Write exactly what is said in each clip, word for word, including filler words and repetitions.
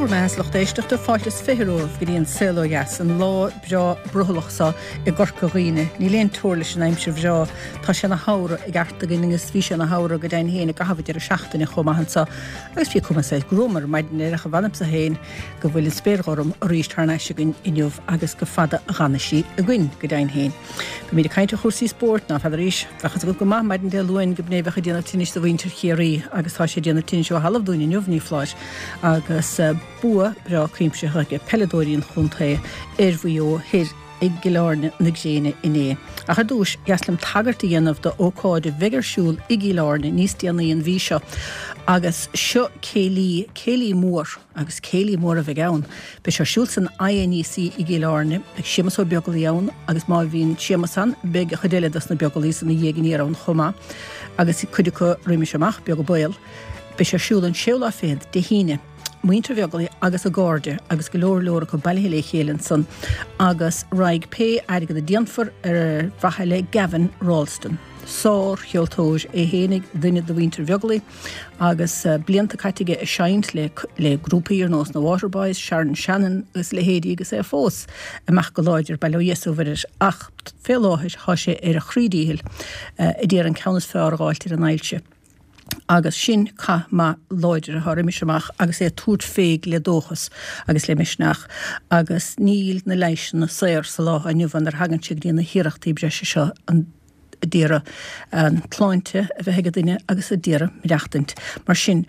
bhur mbeatha, a lucht éisteachta, fáilte is fiche romhaibh go dtí an Saol Ó Dheas, an lá breá brothallach seo i gCorca Dhuibhne. Níl aon teora leis an aimsir bhreá. Tá sé ina shamhradh i gceart againn agus bhí sé ina shamhradh go deimhin féin i gcaitheamh an deireadh seachtaine chomh maith anseo. Agus bhí cuma saghas gruama ar maidin air ach mh'anamsa féin go bhfuil an spéir ghorm arís thar n-ais againn inniu agus go fada a dh'fhanfaidh sí againn go deimhin féin. Beimid ag caint ar chúrsaí spóirt, ná feadar arís. Bheadh fhios agat go maith maidin Dé Luain go b'in é a bheadh ag déanamh tinnis do mhuintir Chiarraí agus tá sé ag déanamh tinnis ó thalamh dúinn inniu, ní foláir, agus bua breá cuimsitheach ag peileadóirí an chontae ar Mhaigh Eo thoir i gCill Airne na gréine inné. Ach ar dtús, dheas liom tagairt a dhéanamh do ócáid a bheidh ar siúl i gCill Airne níos déanaí an mhí seo agus seo céilí, céilí mór agus céilí mór a bheidh ann. Beidh sé ar siúl san INEC i gCill Airne, beidh Séamus Ó Beaglaoi ann agus má bhíonn Séamus ann beidh an chuid eile dos na Beaglaois ina dhiaidh aniar ann chomh maith agus cuid acu roimis amach, beag an baol. Beidh sé ar siúl an séú lá fichead, Dé hAoine. Muintir Bheaglaoich agus a gcairde agus go leor leor acu bailithe le chéile ansan agus raghaidh pé airgead a déanfar ar mhaithe le Gavin Ralston. Sár-cheoltóir é fhéinig, duine de mhuintir Bheaglaoich agus blianta caite aige ag seinnt le le grúpaí ar nós na Waterboys, Sharon Shannon agus a leithéidí agus é fós amach go láidir, bail ó Dhia is ó Mhuire air, ach fé láthair thá sé ar a chroí díchill a d'iarraidh an ceann is fearr a dh'fháilt ar an ailse. Agus sin cath maith láidir atá roimis amach agus é ag tabhairt fé le dóchas agus le misneach agus níl na leighiseanna saor sa lá atá inniu ann nuair a thagann sé go dtí na hiarrachtaí breise seo a d'iarraidh an tsláinte a bheith ag an duine agus a d'iarraidh maireachtaint. Mar sin,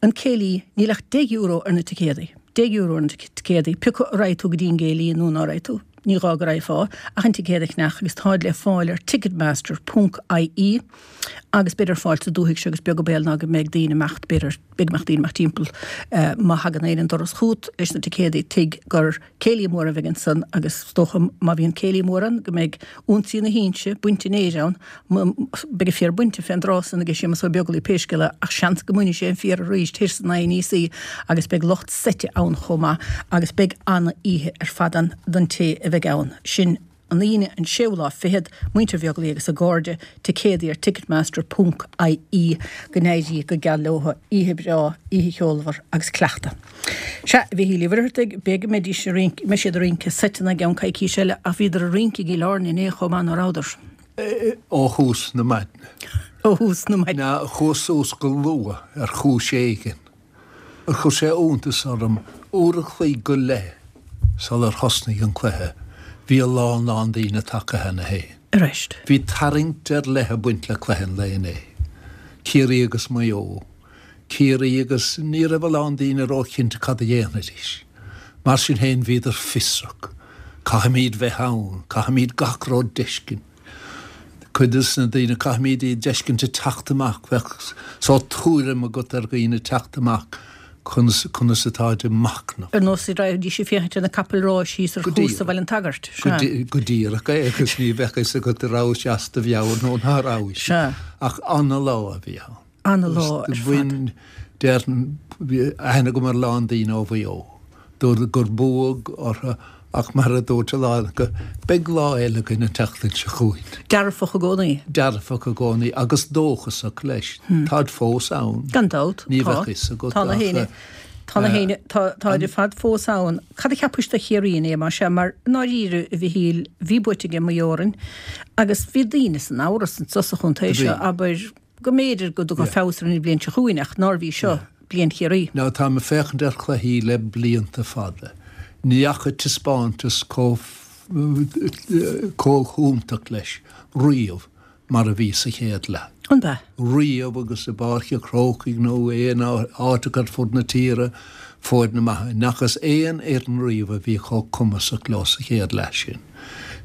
an céilí, níl ach deich euro ar na ticéadaí. Deich euro ar na ticéadaí, pé acu a raghaidh tú go dtí an gcéilí nó ná raghaidh tú. Ní gá go raghfá ach an ticéad a cheannach agus táid le fáil ar ticketmaster ponc ie agus beid ar fáil sa dúthaigh seo agus beag an baol ná go mbeidh daoine imeacht, b'fhéidir, beidh go mbeadh daoine imeacht timpeall má thagann éinne an doras chugat leis na ticéadaí tuig gur céilí mór a bheidh ansan agus is dócha má bhíonn céilí mór ann go mbeidh ionsaí na hinse bainte an fhéir ann Beidh an féar bainte fén dtráth san aige Séamus Ó Beaglaoich pé scéal é ach seans go mbainfidh sé an féar arís thoir san INEC agus beidh lucht seite ann chomh maith agus beidh ana-oíche ar fad ann don té a bheidh ann. Sin an Aoine an séú lá fichead, Muintir Bheaglaoich agus a gcairde, ticéadaí ar ticketmaster ponc ie Go n-éirí go geal leotha, oíche breá, oíche cheolmhar agus cleachtadh. Sea, a Mhichíl Uí Mhuircheartaigh, b'fhéidir go mbeidís ag rince, mbeidh siad ag rince seiteanna i gceann coicís eile ach bhíodar ag rince i gCill Airne inné chomh maith, ná rabhadar? Ó thús na maidne. Ó thús na maidne. Ná chuas suas go luath ar chúis éigin. Chuir sé iontas orm, uair a chloig go leith sular thosnaigh an cluiche, bhí a lán lán daoine tagtha cheana féin. Arís. Bhí tarraingt ar leith ag baint le cluiche an lae inné. Ciarraí agus Maigh Eo. Ciarraí agus ní raibh a lán daoine róchinnte cad a dhéanfaidís. Mar sin féin bhíodar fiosrach. Caithfimid bheith ann, caithfimid gach rud d'fheiscint. Cuid des na daoine, caithfimid iad d'fheiscint ag teacht amach, bheadh sórt tuairim agat ar dhaoine ag teacht amach conas, conas atáid ag machnamh. Ar nós a raghaidís ag féachaint ar na capaill ráis thíos ar chúrsa Bhaile an tSagairt. Sea. Go díreach é agus ní bheadh fhios agat an rabhais as do mheabhair nó ná rabhais. Sea. Ach ana-lá a bhí ann. Ana-lá ar fad. Bhain, déarfainn, bhí aithne agam ar a lán daoine ó Mhaigh Eo. Dúradh gur buadh orthu ach mar a dúirt a lán acu, beidh lá eile againn an tseachtain seo chugainn. Dearfach i gcónaí. Dearfach i gcónaí agus dóchasach leis. Táid fós ann. Gan dabht, Ní tá. bheadh fhios agat Tá na ach héinne, tá na héinne, tá, táid ar fad fós ann. Cad a cheapais do Chiarraí inné, más ea, mar i ndáiríre, a Mhichíl, bhí buaite ag Maigh Eo orainn agus bhí daoine san amhras anso sa chontae seo, abair, go mb'fhéidir go dtiocfadh feabhas ar an bhliain seo chugainn ach nárbh í seo bliain Chiarraí. Now táim ag féachaint ar chluichí le blianta fada. Ní fhaca taispeántas chomh chomh hiontach leis riamh mar a bhí sa chéad leath. An ea? Riamh agus i bPáirc an Chrócaigh nó aon áit ar fud na tíre foirne maithe. Ní fhacthas aon fhoireann riamh a bhí chomh cumasach leo sa chéad leath sin.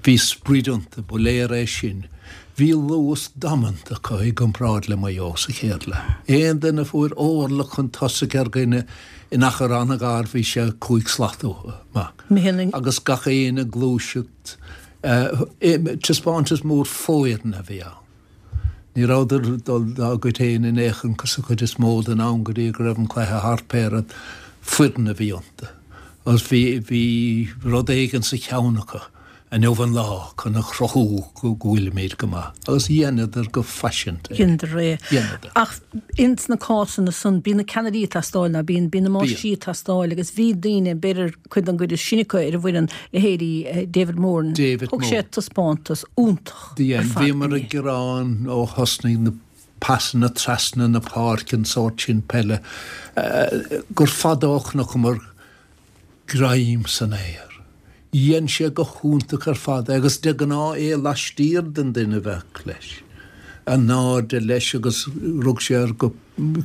Bhí sprid iontu, ba léir é sin. Bhí luas damanta acu i gcomparáid le Maigh Eo sa chéad leath. Aon duine a fuair orlach chun tosaigh ar dhuine in achar an-ghar bhí sé cúig slat uathu amach. Agus gach éinne ag gluaiseacht. Taispeántas mór foirne a bhí ann. Ní rabhadar ag dul dá gcuid féin in aon chor sa chuid is mó den am go dtí go raibh an cluiche thart pé rud. Foireann a bhí iontu. Agus bhí, bhí rud éigin sa cheann acu. Inniu an lá chun a chruthú go bhfuilimid go maith. Agus dheineadar go faiseanta é. Dheineadar é. Dheineadar. Ach ins na cásanna san, bíonn na ceannairí ag teastáil, ná bíonn, bíonn na máistrí ag teastáil agus bhí daoine, b'fhéidir cuid den gcuid is sine acu ar an bhfoireann, leithéidí David Moran. David Thug sé Moran. taispeántas iontach Do dhein. ar fad Bhíomar inné. ag gearán ó thosnaigh na pasanna trasna na páirce, an sórt sin peile, gur fada ó chonaiceamar greim san aer. Dhein sé go hiontach ar fad é agus de ghnáth é laistiar den duine a bheadh leis. In airde leis agus rug sé air go,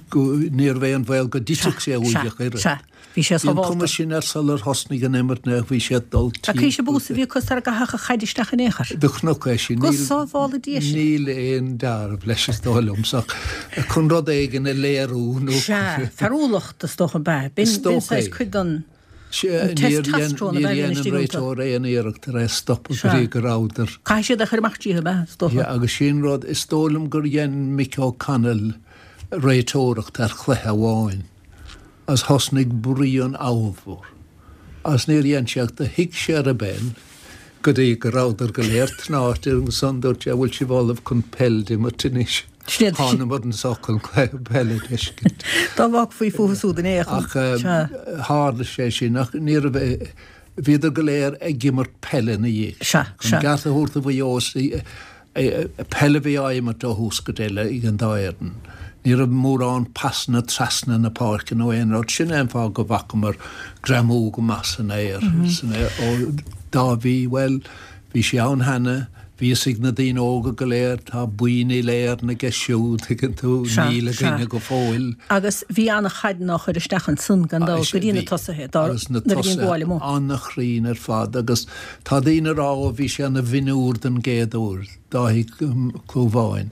go, níorbh aon bhaol go dtitfeadh sé uaidh ach oiread. Sea, bhí sé Bhí an sábhálta. cuma sin air sular thosnaigh an imirt nó bhí sé ag dul Ach cé timpeall. bús a bhí acu sar a gcaithfeadh a chaid isteach in aon chor. Do chonac é sin. Go sábhála Dia sinn. Níl aon dealramh leis is dóigh liomsa ach chun rud éigin a léiriú nó. Sea, fearúlacht is dócha ab ea. B'in, Is b'in dócha saghas é. cuid den. Níor Testosterone a dhein bheith an istigh iontu. réiteoir aon iarracht ar é a stopadh go Sea. dtí go rabhadar. Caithfidh siad a chur amach díothu, ab ea, is dócha. Yeah, agus sin rud, is dóigh liom gur dhein Mick O'Connell réiteoireacht ar chluiche amháin agus thosnaigh bruíon ollmhór. Agus níor dhein sé ach do shuigh sé ar an bpeil go dtí go rabhadar go léir tnáite agus ansan dúirt sé, bhfuil sibh ullamh chun peil d'imirt anois? Siad. Thánamar anso chun cluiche peile d'fheiscint. Dá bhfágfaí fúthu súd in aon Ach chor. tharla sé sin, ach ní raibh, bhíodar go léir ag imirt peile ina dhiaidh. Sea, Chun sea. ceart a thabhairt do Mhaigh Eo, peil a bhí á imirt ó thús go deireadh ag an dá fhoireann. Ní raibh mórán pasanna trasna na páirce nó aon rud. Sin é an fáth go bhfacamar greamú go maith san aer, san aer. Ó Dáibhí, bhuel, bhí sé ann cheana, bhí fhios ag na daoine óga go léir, tá boinn uile-Éireann aige siúd, tuigeann tú, Sea, níl sea. againne go fóill. Agus bhí ana-chaideanna á chur isteach ansan gan dabht go dtí na tosaithe, dá Agus na nuair a bhí an tosaithe gabháil amuigh. an-chruinn ar fad agus tá daoine ag rá ó bhí sé ina mhionúr den gcéad uair, Dáithí Clúmháin,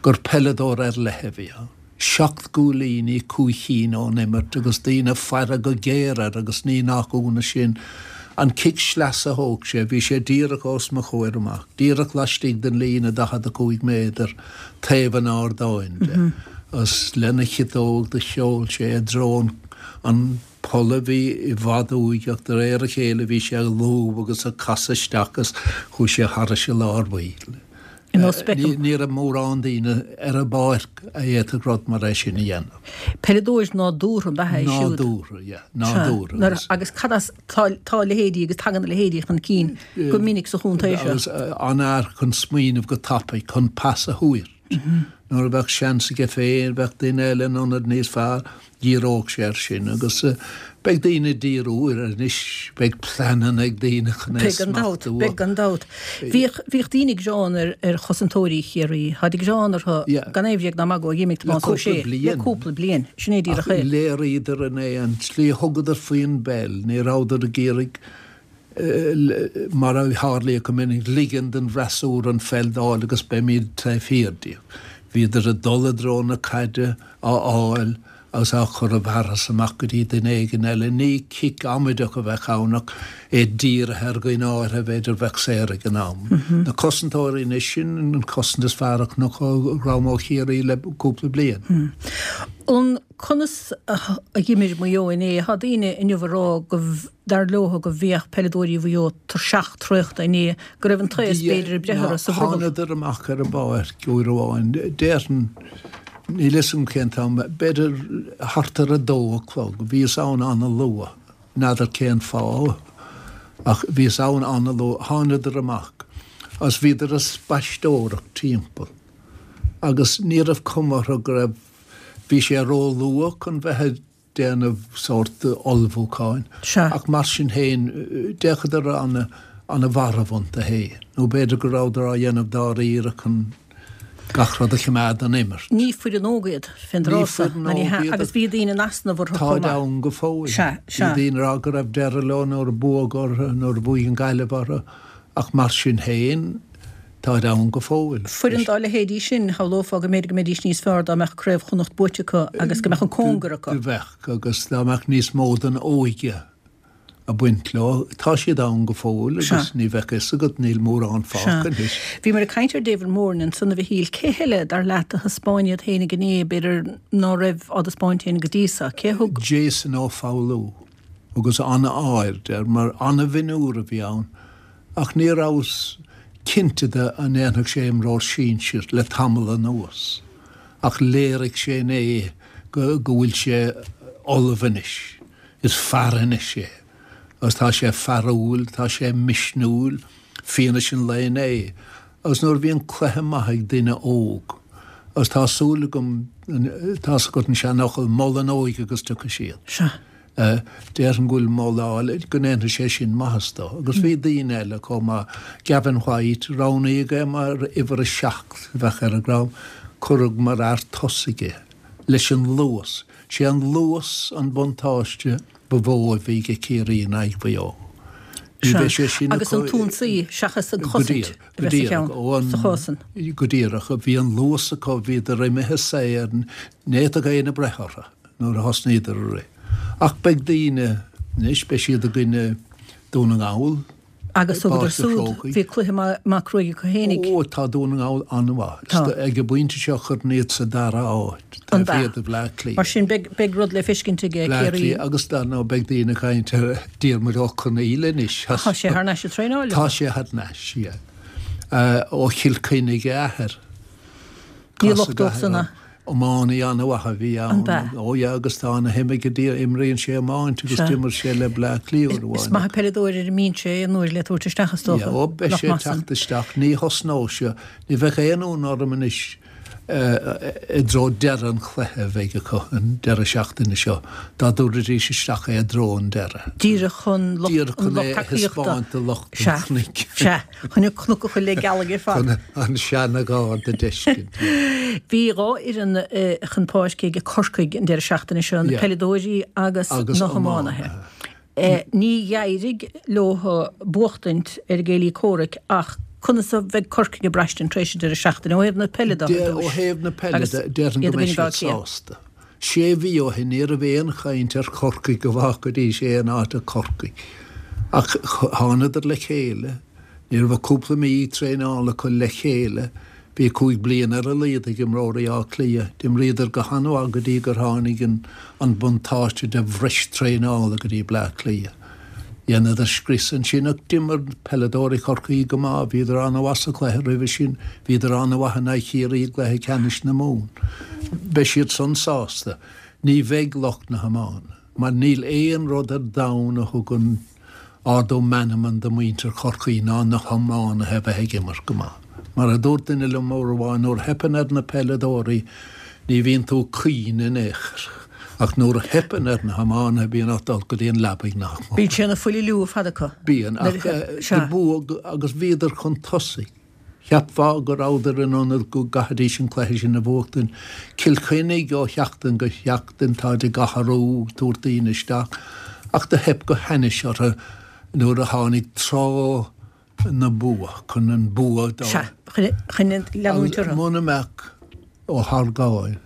gur peileadóir ar leith a bhí ann. Seacht gcúilíní, cúig chinn ón imirt agus daoine ag faire go géar air agus ní nach ionadh sin. An cic sleasa a thóg sé, bhí sé díreach os mo chomhair amach, díreach laistigh den líne daichead a cúig méadar taobh an ardáin de. Agus lena chiotóg do sheol sé i dtreo an poll a bhí i bhfad uaidh ach de réir a chéile bhí sé ag lúb agus ag casadh isteach agus chuaigh sé thairis i lár baill. Ar nós Beckham. Ní raibh mórán daoine ar an bpáirc a fhéadfadh rud mar é sin a dhéanamh. Peileadóir nádúrtha ab ea é siúd. Nádúrtha, yeah, nádúrtha. Nuair, agus cad as tá, tá leithéidí agus tagann a leithéidí chun cinn go minic sa chontae seo. Agus an-fhear chun smaoineamh go tapaidh, chun pas a thabhairt. Nuair a bheadh seans aige féin, bheadh duine eile in ionad níos fearr, dhíreodh sé air sin. Agus beidh daoine ag díriú air anois, beidh pleananna ag daoine chun é Beidh gan dabht, smachtú. beidh gan dabht. Bhíodh, bhíodh daoine ag gearán ar, ar chosantóirí Chiarraí. Táid ag gearán orthu Yeah. gan aon bhréag ná magadh ó dh'imigh Le Tomás Ó cúpla Sé. Le bliain. cúpla bliain. Sin é díreach Ach é. léiríodar in é an tslí a thugadar faoin bpeil, ní rabhadar ag iarraidh mar a tharlaíodh go minic, ligean don bhfreasúra an pheil d'fháil agus beimid taobh thiar díobh. Bhíodar ag dul i dtreo na caide á fháil agus á chur i bhfearas amach go dtí duine éigin eile. Ní cic amaideach a bheadh ann ach é dírithe ar dhuine áirithe b'fhéidir bheadh saor ag an am. Na cosantóirí anois, sin an cosaint is fearr a chonac ó dhream ó Chiarraí le cúpla bliain. An conas a d'imir Maigh Eo inné? Tá daoine inniu ag rá go dar leo go bhíodh peileadóirí Mhaigh Eo tuirseach traochta inné, go raibh an taos b'fhéidir ag breith orthu sa bhrothall. Thánadar amach ar an bpáirc uair amháin. Déarfainn, níl fhios agam cén t-am, b'fhéidir thart ar a dó a chlog. Bhíos ann an-luath, n'fheadar cén fáth, ach bhíos ann an-luath. Thánadar amach agus bhíodar ag spaisteoireacht timpeall. Agus ní raibh cuma orthu go raibh, bhí sé ró-luath chun bheith ag déanamh sórt ullmhúcháin. Sea. Ach mar sin féin, d'fhéachadar an-mharbh iontu féin. Nó b'fhéidir go rabhadar á dhéanamh dáiríre chun gach rud a choimeád don imirt. Ní foireann óg iad, fén Ní dtráth seo, foireann ná ní óg hea, iad. agus bhí daoine in easnamh orthu Táid chomh maith. ann go fóill. Sea, sea. Bhí daoine ag rá go raibh deireadh leo nuair a buadh orthu, nuair a bhuaigh an Ghaillimh orthu, ach mar sin féin, táid ann go fóill. Foireann dá leithéidí sin, shamhlófá go mb'fhéidir go mbeidís níos fearr dá mbeadh Craobh Chonnacht buaite acu agus go mbeadh an cóngar acu. Do bheadh, agus dá mbeadh níos mó den óige ag baint leo. Tá siad ann go fóill agus Sea. ní bheadh fhios agat, níl mórán fágtha anois. Bhíomar ag caint ar David Moran ansan a Mhichíl. Cé heile dar leat a thaispeáin iad féinig inné, b'fhéidir ná raibh á dtaispeáint féin go dtí seo? Cé thug? Jason Ó Foghlú, agus an-aird air, mar an-mhionúr a bhí ann, Ach ní rabhas cinnte de an ndéanfadh sé imreoir sinsir le tamall anuas. Ach léirigh sé inné go go bhfuil sé ullamh anois. Is fear anois é. Agus tá sé fearúil, tá sé misniúil, fianaise an lae inné. Agus nuair a bhíonn cluiche maith ag duine óg, agus tá súil agam, tá's agat an seanfhocal, mol an óige agus tiocfaidh siad. Sea. Déarfainn go bhfuil moladh, go ndéanfaidh sé sin maitheas dó. Agus bhí daoine eile chomh maith, Gavin White, roghnaíodh é mar uimhir a seacht a bheadh ar an gcrann, cuireadh mar fhear tosaigh é, leis an luas. Sé an luas an buntáiste ba mhó a bhí ag Ciarraí in aghaidh Mhaigh Eo. Ní bheidh sé sin Agus an t-ionsaí seachas an chosaint a bheith sa cheann, sa chás san. Go díreach. Bhí an luas acu, bhíodar imithe saor, ní fhéadfadh éinne breith orthu nuair a thosnaíodar ag rith. Ach beidh daoine anois, beidh siad i gcoinne Dún na nGall. Agus thugadar súd, bhí cluiche maith cruaidh acu fhéinig. Ó, tá Dún na nGall an-mhaith. Tá. Ag an bpointe seo chuirfinn iad sa dara háit, taobh thiar de Bhleá Cliath. Mar sin, beidh rud le feiscint ag Bleá Ciarraí. Cliath agus dar ndóigh beidh daoine ag caint ar Diarmuid Ó Conghaile anois. Tá sé thar n-ais ag traenáil. Tá sé thar n-ais, yeah. Ó Chill Chainnigh a athair. Ní locht dó san a. Iománaí an-mhaith a bhí ann. An b'ea? Ó yeah agus tá ana-shuim aige di, imríonn sé iomáint agus d'imir sé le Bleá Cliath uair amháin. Is maith an peileadóir ar an mbinse é aon uair le tabhairt isteach is dócha. Yeah, ó beidh sé ag teacht isteach, ní thosnóidh sé, ní bheadh aon ionadh orm anois i dtreo deireadh an chluiche a bheidh acu an deireadh seachtaine seo, dá dtabharfaidís isteach é i dtreo an deireadh. Díreach chun lucht Díreach an chun lucht é a tacaíochta. thaispeáint do lucht an Sea, chnoic. sea, chun an cnoc a chur le gealaigh ar fad. Chun an seana-gharda a d'fheiscint. Bhí dhá fhoireann chun páirce ag Corcaigh an deireadh seachtaine seo, na Yeah. peileadóirí agus Agus na hiománaithe. iománaithe. Ní d'éirigh leo buachtaint ar a gcéilí comhraic ach conas a bheidh Corcaigh ag braistint tar éis an deireadh seachtaine ó thaobh na peile de ar Ó dtús thaobh na peile agus de, déarfainn iad go i mbeidh gcoinne Bhaile siad Átha Cliath? sásta. Sé mhí ó shin ní raibh aon chaint ar Chorcaigh go bhfágfaidís aon áit ach Corcaigh. Ach thánadar le chéile. Ní raibh ach cúpla mí traenála acu le chéile. Bhí cúig bliana ar a laghad ag imreoirí Átha Cliath. D'imríodar go han-mhaith go dtí gur tháinig an buntáiste de bhreis traenála go dtí Bleá Cliath. Dheineadar scrios ansin ach d'imir peileadóirí Chorcaí go maith. Bhíodar an-mhaith sa chluiche roimhe sin. Bhíodar an-mhaith in aghaidh Chiarraí i gcluiche ceannais na Mumhan. Beidh siad san sásta. Ní bheidh lucht na hiomána, mar níl aon rud ar domhan a thugann ardú meanman do mhuintir Chorcaí ná na hiománaithe a bheith ag imirt go maith. Mar a dúirt duine liom uair amháin, nuair a theipeann ar na peileadóirí ní bhíonn tú ag caoineadh in aon chor, ach nuair a theipeann ar na hiománaithe bíonn ort dul go dtí an leabaidh nach mór. Bíonn sé ina fuiliú ar fad acu. Bíonn, ach de bua agus bhíodar chun tosaigh. Cheapfá go rabhadar in ionad go gcaithfidís an cluiche sin a bhuachtaint. Cill Chainnigh ó sheachtain go seachtain táid ag athrú, tabhairt daoine isteach, ach do theip go hainnis orthu nuair a tháinig tráth na bua, chun an bua d'fháil. Sea, chun leanúint Agus orthu. muna mbeadh Ó hArgáin,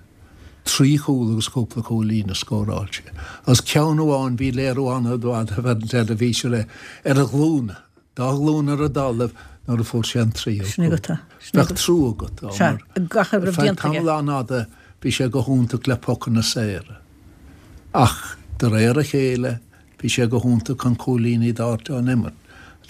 trí chúl agus cúpla cúilín a scóráil sé. Agus ceann amháin, bhí léiriú an-mhaith ar an teilifís air ar a ghlúine. Dá ghlúin ar an dtalamh nuair a fuair sé an tríú Sin cúl. agat é. Sin Bheadh agat. trua agat dó Sea, mar gach a ar raibh feadh déanta aige. tamall an-fhada bhí sé go hiontach le pocanna saora. Ach de réir a chéile bhí sé go hiontach chun cúilíní d'fháilt ón imirt.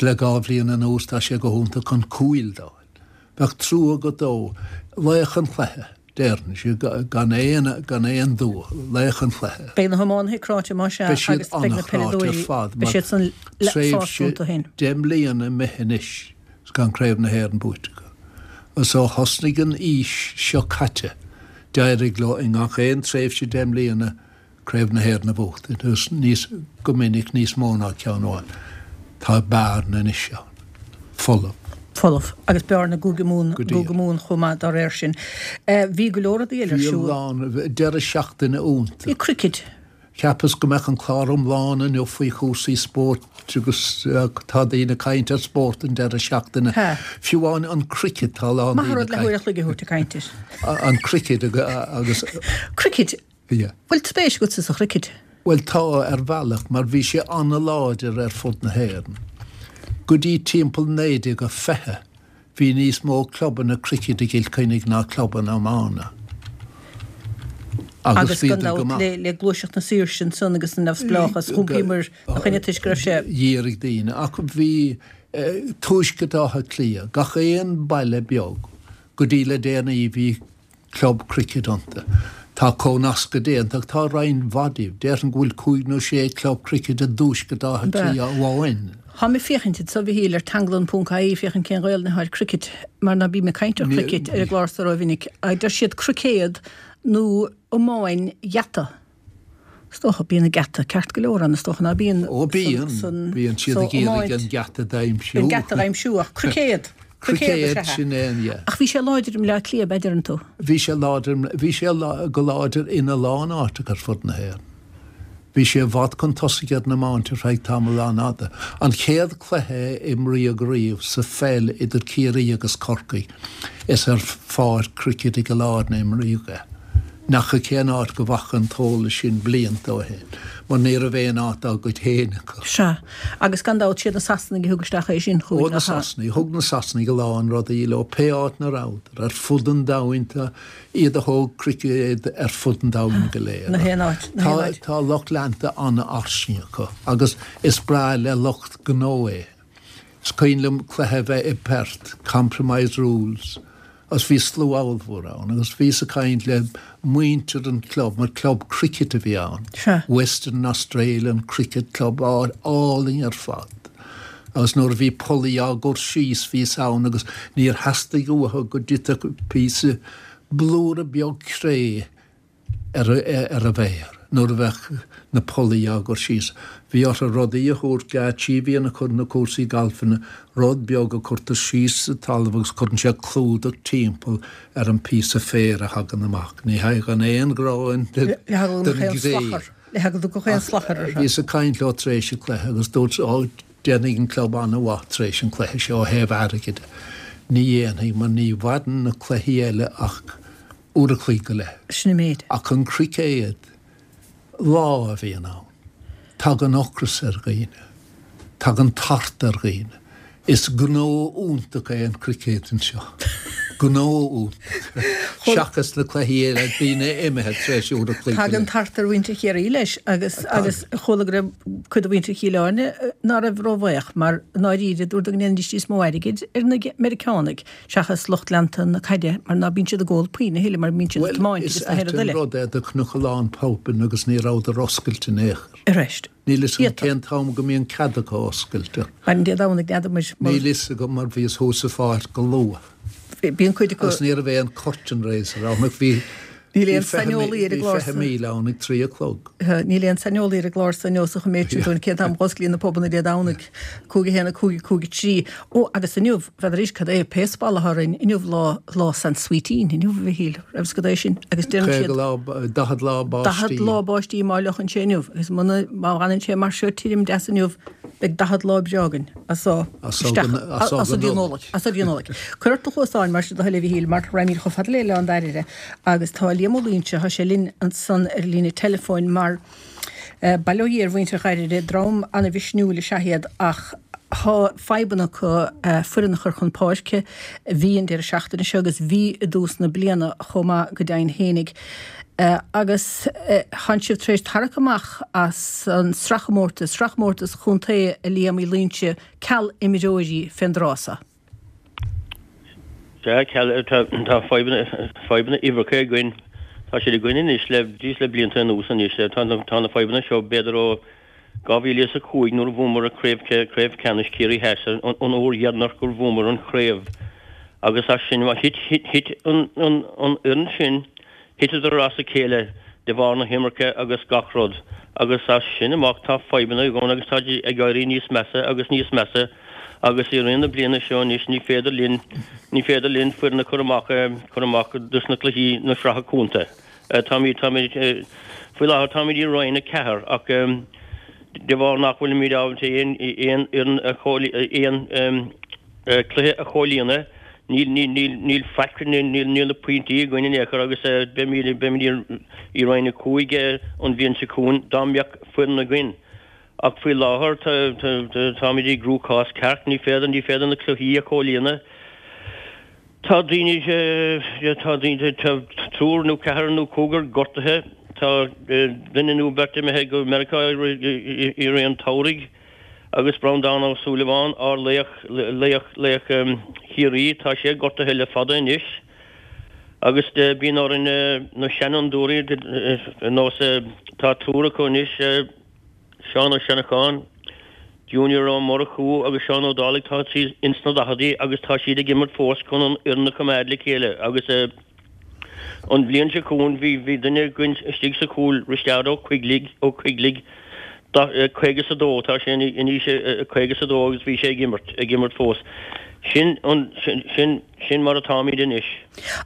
Le dhá bhliain anuas tá sé go hiontach chun cúil d'fháil. Bheadh trua agat dó. Laoch an chluiche, déarfainnse, gan aon, gan aon dua. Laoch an chluiche. Beidh na hiománaithe cráite más ea Beidh siad agus beidh na an-chráite ar peileadóirí, fad beidh mar siad san sásta tréimhse iontu féin. deich mbliana imithe anois is gan Craobh na hÉireann buaite acu. Agus ó thosnaigh an aois seo caite d'éirigh leo i ngach aon tréimhse deich mbliana Craobh na hÉireann a bhuachtaint, agus níos, go minic níos mó ná ceann amháin. Tá bearna anois ann. Folamh. Folamh. Agus bearna i gCúige Mumhan, Go gCúige díreach. Mumhan chomh maith dá réir sin. Bhí go leor rudaí eile ar Bhí a siúl. lán, deireadh seachtaine Bhí iontach. cricket. Cheapas go mbeadh an clár iomlán inniu faoi chúrsaí spóirt agus tá daoine ag caint ar spórt an deireadh seachtaine. Tá. Fiú amháin an cricket, tá a lán Maith daoine rud ag le huair caint. a chloig a thabhairt ag caint air. An cricket agus. Cricket? Yeah. Bhfuil spéis agatsa sa chricket? Bhuel tá, ar bhealach, mar bhí sé an-láidir ar fud na hÉireann. Go dtí timpeall naoi déag a fiche bhí níos mó clubanna cricket i gCill Chainnigh ná clubanna iomána. Agus Agus gan bhíodar go dabht maith. le le gluaiseacht na saoirse ansan agus an neamhspleáchas, Go, thiompaíomar a choinne toisc go raibh sé. dhírigh daoine. Ach bhí Tuaisceart Átha Cliath, gach aon baile beag go dtí le déanaí bhí club cricket iontu. Tá comhnascadh déanta ach tá roinnt mhaith díobh. Déarfainn go bhfuil cúig nó sé club cricket i dTuaisceart Átha Cliath amháin. Tá mé féachaint anseo a Mhichíl ar teanglann ponc ie féachaint cén Ghaelainn atá ar cricket mar ná bím ag caint ar chricket ar an gclár so rómhinic. Deir siad cruicéad nó iomáin gheata. Is dócha bíonn an geata ceart go leor ann is dócha ná bíonn? Ó bíonn, bíonn siad ag iarraidh an geata d'aimsiú. An geata d'aimsiú ach cruicéad! Cruicéad is ea é, yeah. Ach bhí sé láidir i mBleá Cliath, ab ea, deireann tú? Bhí sé láidir, bhí sé go láidir ina lán áiteacha ar fud na hÉireann. Bhí sé i bhfad chun tosaigh ar an iomáint ar feadh tamall an-fhada. An chéad chluiche a imríodh riamh sa pheil idir Ciarraí agus Corcaigh, is ar pháirc cruicéid i gCill Airne a imríodh é. N'fheadar cén áit go bhfaca an t-eolas sin blianta ó shin, mar ní raibh aon áit dá gcuid féin acu. Sea, agus gan dabht siad na Sasanaigh a thug isteach é sin chugainn, nach ea? Ó, na Sasanaigh. Thug na Sasanaigh a lán rudaí leo, pé áit 'na rabhadar, ar fud an domhain. Tá iad a thóg cruicéad ar fud an domhain go léir. Na haon áit, na haon áit. Tá lucht leanta an-fhairsing acu agus is breá le lucht gnó é. Is cuimhin liom cluiche a bheith i bPerth, Compromise Rules, agus bhí slua ollmhór ann agus bhíos ag caint le muintir an chlub, mar club cricket a bhí ann, Western Australian Cricket Club, áit álainn ar fad. Agus nuair a bhí pollaí á gcur síos bhíos ann agus níor theastaigh uathu go dtitfeadh píosa blúire beag cré ar ar an bhféar nuair a bheadh na pollaí á gcur síos. Bhí orthu rudaí a thabhairt, geáitsí a bhíonn ag cur na cúrsaí galfanna, rud beag a cuirtear síos sa talamh agus cuireann sé clúdach timpeall ar an bpíosa féir a thagann amach. Ní thagann aon ghráin den gcré. Le heagla go dtiocfadh aon slachar orthu. Bhíos ag caint leo tar éis an chluiche agus dúirt, Ó, déanfaidh an club an-mhaith tar éis an chluiche seo ó thaobh airgid de. Ní dhéanfaidh, mar ní mhaireann na cluichí eile ach uair a chloig go leith. Sin an méid. Ach an cruicéad, lá a bhíonn ann. Tagann ocras ar dhaoine. Tagann tart ar dhaoine. Is gnó iontach é an cruicéad anseo. Gnó iontach. Seachas na cluichí eile, daoine imithe tar éis uair a chloig go leith. Tagann tart ar mhuintir Chiarraí leis agus agus chuala go raibh cuid de mhuintir Chill Airne ná raibh róbhuíoch mar i ndáiríre dúradar go ndéanfaidís níos mó airgid ar na Meiriceánaigh seachas lucht leanta na caide mar ná bíonn siad ag ól puinn a thuilleadh mar bíonn siad ag Bhuel, tiomáint is agus na ait haon rud an eile. rud é do chonac a lán pubanna agus ní rabhadar oscailte in aon chor. Arís. Níl fhios agam Iata. cén t-am go mbíonn cead acu oscailt ach. Mar Dé Domhnaigh n'fheadar muid mar. Níl fhios agam mar bhíos thuas sa pháirc go luath. Bíonn cuid acu. Agus ní raibh aon curtain raiser ann ach bhí Níl bhí aon fiche saineolaí ar an bhí gclár fiche sa. míle ann ag trí a chlog. Níl aon saineolaí ar an gclár so inniu so choiméad siad dúinn cén t-am a dh'osclaíonn na pubanna Dé Domhnaigh, cúig a haon a cúig a cúig a trí. Ó, agus inniu, n'fheadar arís cad é, pé spalla atá orainn, inniu lá, lá San Sweeteen, inniu, a Mhichíl, raibh fhios agat é sin, agus deireann Caoga siad. lá, daichead lá báistí. Daichead lá báistí má fhliuchann sé inniu, agus muna, má fhanann sé mar seo tirim deas inniu, beidh daichead lá breá againn as so As so isteach, go, as so as so go dtí an Nollaig. Nollaig, as so dtí an Nollaig. Cuir ort do chluasáin mar sin do thoil a Mhichíl, mar raghaimid chomh fada le Oileán Dairbhre agus tá Liam Ó Loingsigh, tá sé linn ansan ar líne teileafóin mar bail ó Dhia ar mhuintir Dhairbhre, dream ana-mhisniúil is ea iad ach tá fadhbanna acu foireann a chur chun páirce. Bhí an deireadh seachtaine seo agus bhí i dtús na bliana chomh maith go deimhin fhéinig. Agus tánn sibh tar éis tarrac amach as an sraithchomórtas, sraithchomórtas chontae a Liam Uí Loingsigh, ceal imreoirí fén dtráth so. Sea, ceal, tá, tá fadhbanna, fadhbanna uimhreacha againn. Tá siad againn anois le, díos le blianta anuas anois. Tá na, tá na fadhbanna seo b'fhéidir ó dhá mhíle is a cúig nuair a bhuamar an craobh, craobh ceannais Ciarraí Theas, an, an uair dheireanach gur bhuamar an chraobh. Agus as sin, thit, thit, thit an, an, an fhoireann sin, Thiteadar as a chéile de bharr na himirce agus gach rud, agus as sin amach tá fadhbanna againn agus táid ag éirí níos measa agus níos measa agus i rith na bliana seo anois ní féidir linn, ní féidir linn foireann a chur amach, cur amach dos na cluichí na sraithe contae. Táimid, táimid, faoi láthair táimid i Roinn a ceathair ach de bharr nach bhfuilimid ábalta aon, aon fhoireann a aon cluiche a chomhlíonadh, Níl, níl, níl, níl faic, níl, níl, níl na pointí againn in aon chor agus beimid, beimid i Roinn a cúig an bhliain seo chugainn dá mbeadh foireann againn. Ach faoi láthair tá, tá, táimid i gcruachás ceart, ní féidir, ní féidir na cluichí a chomhlíonadh. Tá daoine, tá daoine, tá triúr nó ceathrar nó cúigear gortaithe, tá duine nó beirt imithe go Meiriceá i rith an tsamhraidh. Agus Breandán Ó Súilleabháin, ár laoch, laoch, laoch Chiarraí, tá sé gortaithe le fada anois. Agus bíonn orainn na seanfhondúirí ar nós, tá triúr acu anois, Seán Ó Seanacháin, Junior Ó Murchú agus Seán Ó Dálaigh, tá siad ins na daicheadaí agus tá siad ag imirt fós chun an fhoireann a choimeád le chéile agus an bhliain seo chugainn bhí bhí duine againn istigh sa chúl, Risteárd Ó Coigligh, Ó Coigligh, caoga is a dó, tá sé in aois a caoga is a dó agus bhí sé ag imirt, ag imirt fós. Sin an, sin, sin, sin mar atáimid anois.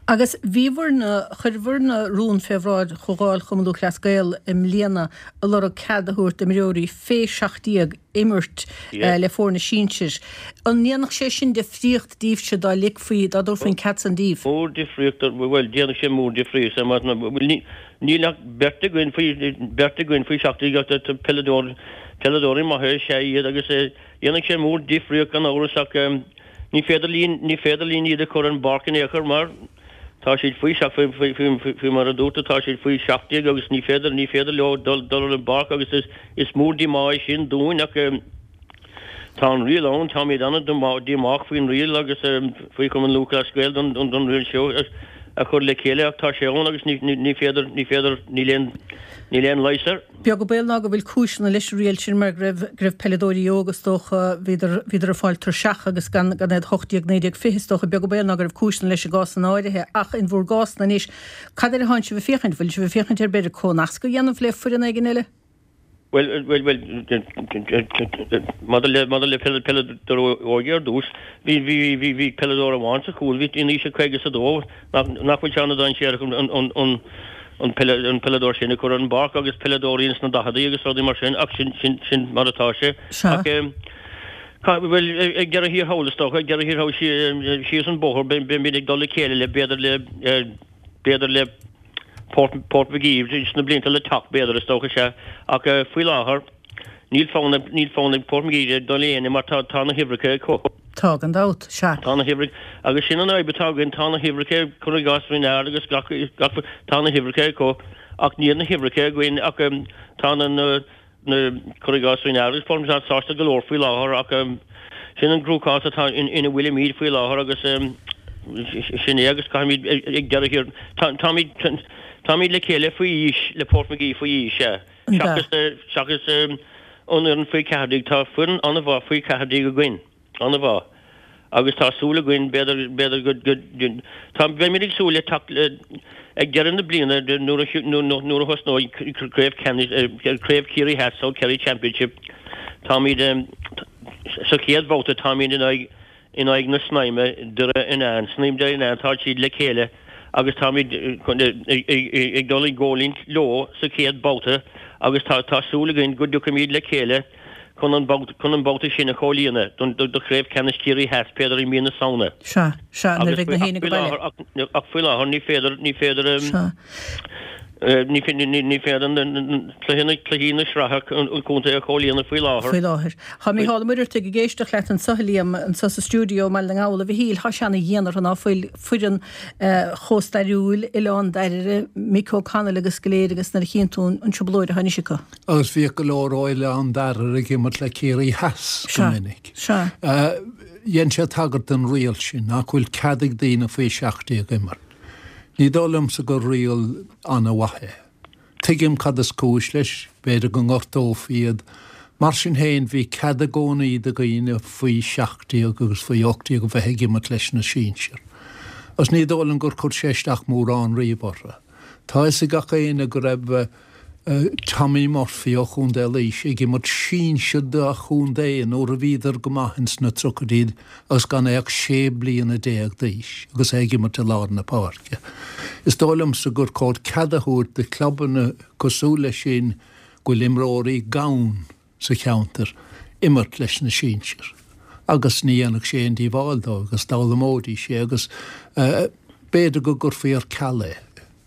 Agus bhíobhair-ne, chuireabhair-ne rún fé bhráid Chomhdháil Chumann Lúthchleas Gael i mbliana ag lorg cead a thabhairt d'imreoirí fé seacht déag imirt le foirne sinsir. An ndéanfadh sé sin difríocht daoibhse dá ligfí, dá dtabharfaí an cead san daoibh? Mór difríocht, bhuel, déanfaidh sé mór difríocht, bhuel, ní, níl ach beirt againn faoi, beirt againn faoi seacht déag ach tá peileadóir, peileadóirí maithe is ea iad agus dhéanfadh sé mór difríocht gan amhras ach ní féidir linn, ní féidir linn iad a chur ar an bpáirc in aon chor mar tá siad faoi seacht, faoi, faoi, faoi, faoi mar a dúirt tú, tá siad faoi seacht déag agus ní féidir, ní féidir leo dul, dul ar an bpáirc agus is, is mór díomá é sin dúinn ach tá an riail ann, táimid an-díomách faoin riail agus faoi Chumann Lúthchleas Gael don, don, don riail seo a chur le chéile ach tá sé ann agus ní, ní, ní féidir, ní féidir, níl aon, níl aon leigheas air. Beag an baol ná go bhfuil cúiseanna leis an riail sin mar go raibh, go raibh peileadóirí óga is dócha, bhíodar, bhíodar ag fáil tuirseach agus gan, gan iad hocht déag, naoi déag, fiche is dócha, beag an baol ná go raibh cúiseanna leis i gcásanna áirithe ach in bhur gcás-na anois, cad air atánn sibh ag féachaint? Bhfuil sibh ag féachaint ar b'fhéidir comhnasc a dhéanamh le foireann éigin eile? Bhuel, bhuel, bhuel, maidir le, maidir le peileadóir óige ar dtús, bhí, bhí, bhí, bhí peileadóir amháin sa chúl, bhí in aois a caoga is a dó, nach, nach bhfuil sé an-dainséarach an, an, an, an peile, an peileadóir sin a chur ar an bpáirc agus peileadóirí ins na daicheadaí agus rudaí mar sin, ach sin, sin, sin mar atá sé. Sea. Ach, ca, bhuel, ag deireadh thiar thall is dócha, ag deireadh thiar thall síos an bóthar, beimid ag dul le chéile le, b'fhéidir le, b'fhéidir le, Port Port Magee sna blianta le teacht, b'fhéidir, is dócha, sea. Ach faoi láthair, níl fonn ag níl fonn ag Port Magee dul le éinne mar tá tá na huimhreacha acu. Tá, gan dabht, sea. Tá na huimhreacha, agus sin an fhadhb atá againn, tá na huimhreacha, cuir i gcás Renard agus gach gach tá na huimhreacha acu ach níl na huimhreacha againn ach tá na na na, cuir i gcás Renard agus Port Magee sásta go leor faoi láthair ach sin an gcruachás atá ina bhfuilimid faoi láthair agus sin é agus caithfimid ag deireadh thiar, táimid táimid le chéile faoi aois le Port Magee faoi aois, sea. Seachas seachas an fhoireann faoi ceathair déag, tá foireann an-mhaith faoi ceathair déag againn. An-mhaith. Agus tá súil againn, b'fhéidir, b'fhéidir go, go, tá, beimid ag súil le teacht le, ag deireadh na bliana nuair a, nuair a thosnóidh Craobh Ceannais, Craobh Chiarraí Theas, South Kerry Championship, táimid, sa chéad bhabhta táimid in aghaidh, in aghaidh na Snaidhme, Doire Fhionáin, Snaidhm Doire Fhionáin, tá siad le chéile agus táimid ag dul i gcoimhlint leo sa chéad bhabhta agus tá, tá súil againn go dtiocfaimid le chéile chun an chun an babhta sin a chomhlíonadh don do Chraobh Ceannais Chiarraí Theas, b'fhéidir i mí na Samhna. Sea, sea, nuair a Agus bheidh na héinne ach go faoi baile. láthair, ach faoi láthair ní féidir, ní féidir, Sea. ní ní féidir na cluichí na cluichí na sraithe an chontae a chomhlíonadh faoi láthair. Faoi láthair. Tá Mícheál Ó Muircheartaigh ag éisteacht leat anseo, a Liam, anseo sa stiúideo i mBaile na nGall. A Mhichíl, tá sé ana-dhian orthu ná fuil foireann chomh stairiúil, Oileán Dairbhre, Mick O'Connell agus go léir agus nuair a chíonn tú an trioblóid atá anois acu. Agus bhíodh go leor ó Oileán Dairbhre ag imirt le Ciarraí Theas go Sea, minic. sea. Dhein sé tagairt don riail sin, nach bhfuil cead ag daoine faoi seacht déag imirt. Ní dóigh liomsa gur riail an-mhaith é. Tuigim cad is cúis leis, b'fhéidir go ngortófaí iad. Mar sin féin, bhí cead i gcónaí do dhaoine faoi seacht déag agus faoi ocht déag a bheith ag imirt leis na sinsir. Agus ní dóigh liom gur chuir sé isteach mórán riamh orthu. Tá fhios ag gach éinne go raibh Tommy Murphy ó Chontae Laoise ag imirt sinsir dá chontae nuair a bhíodar go maith ins na tríochaidí agus gan é ach sé bliana déag d'aois agus é ag imirt i lár na páirce. Is dóigh liomsa gur chóir cead a thabhairt do chlubanna cosúil leis sin go bhfuil imreoirí gann sa cheantar imirt leis na sinsir agus ní dhéanfadh sé aon díobháil dóibh agus d'fhoghlaimeoidís é agus b'fhéidir go gcuirfí ar ceal é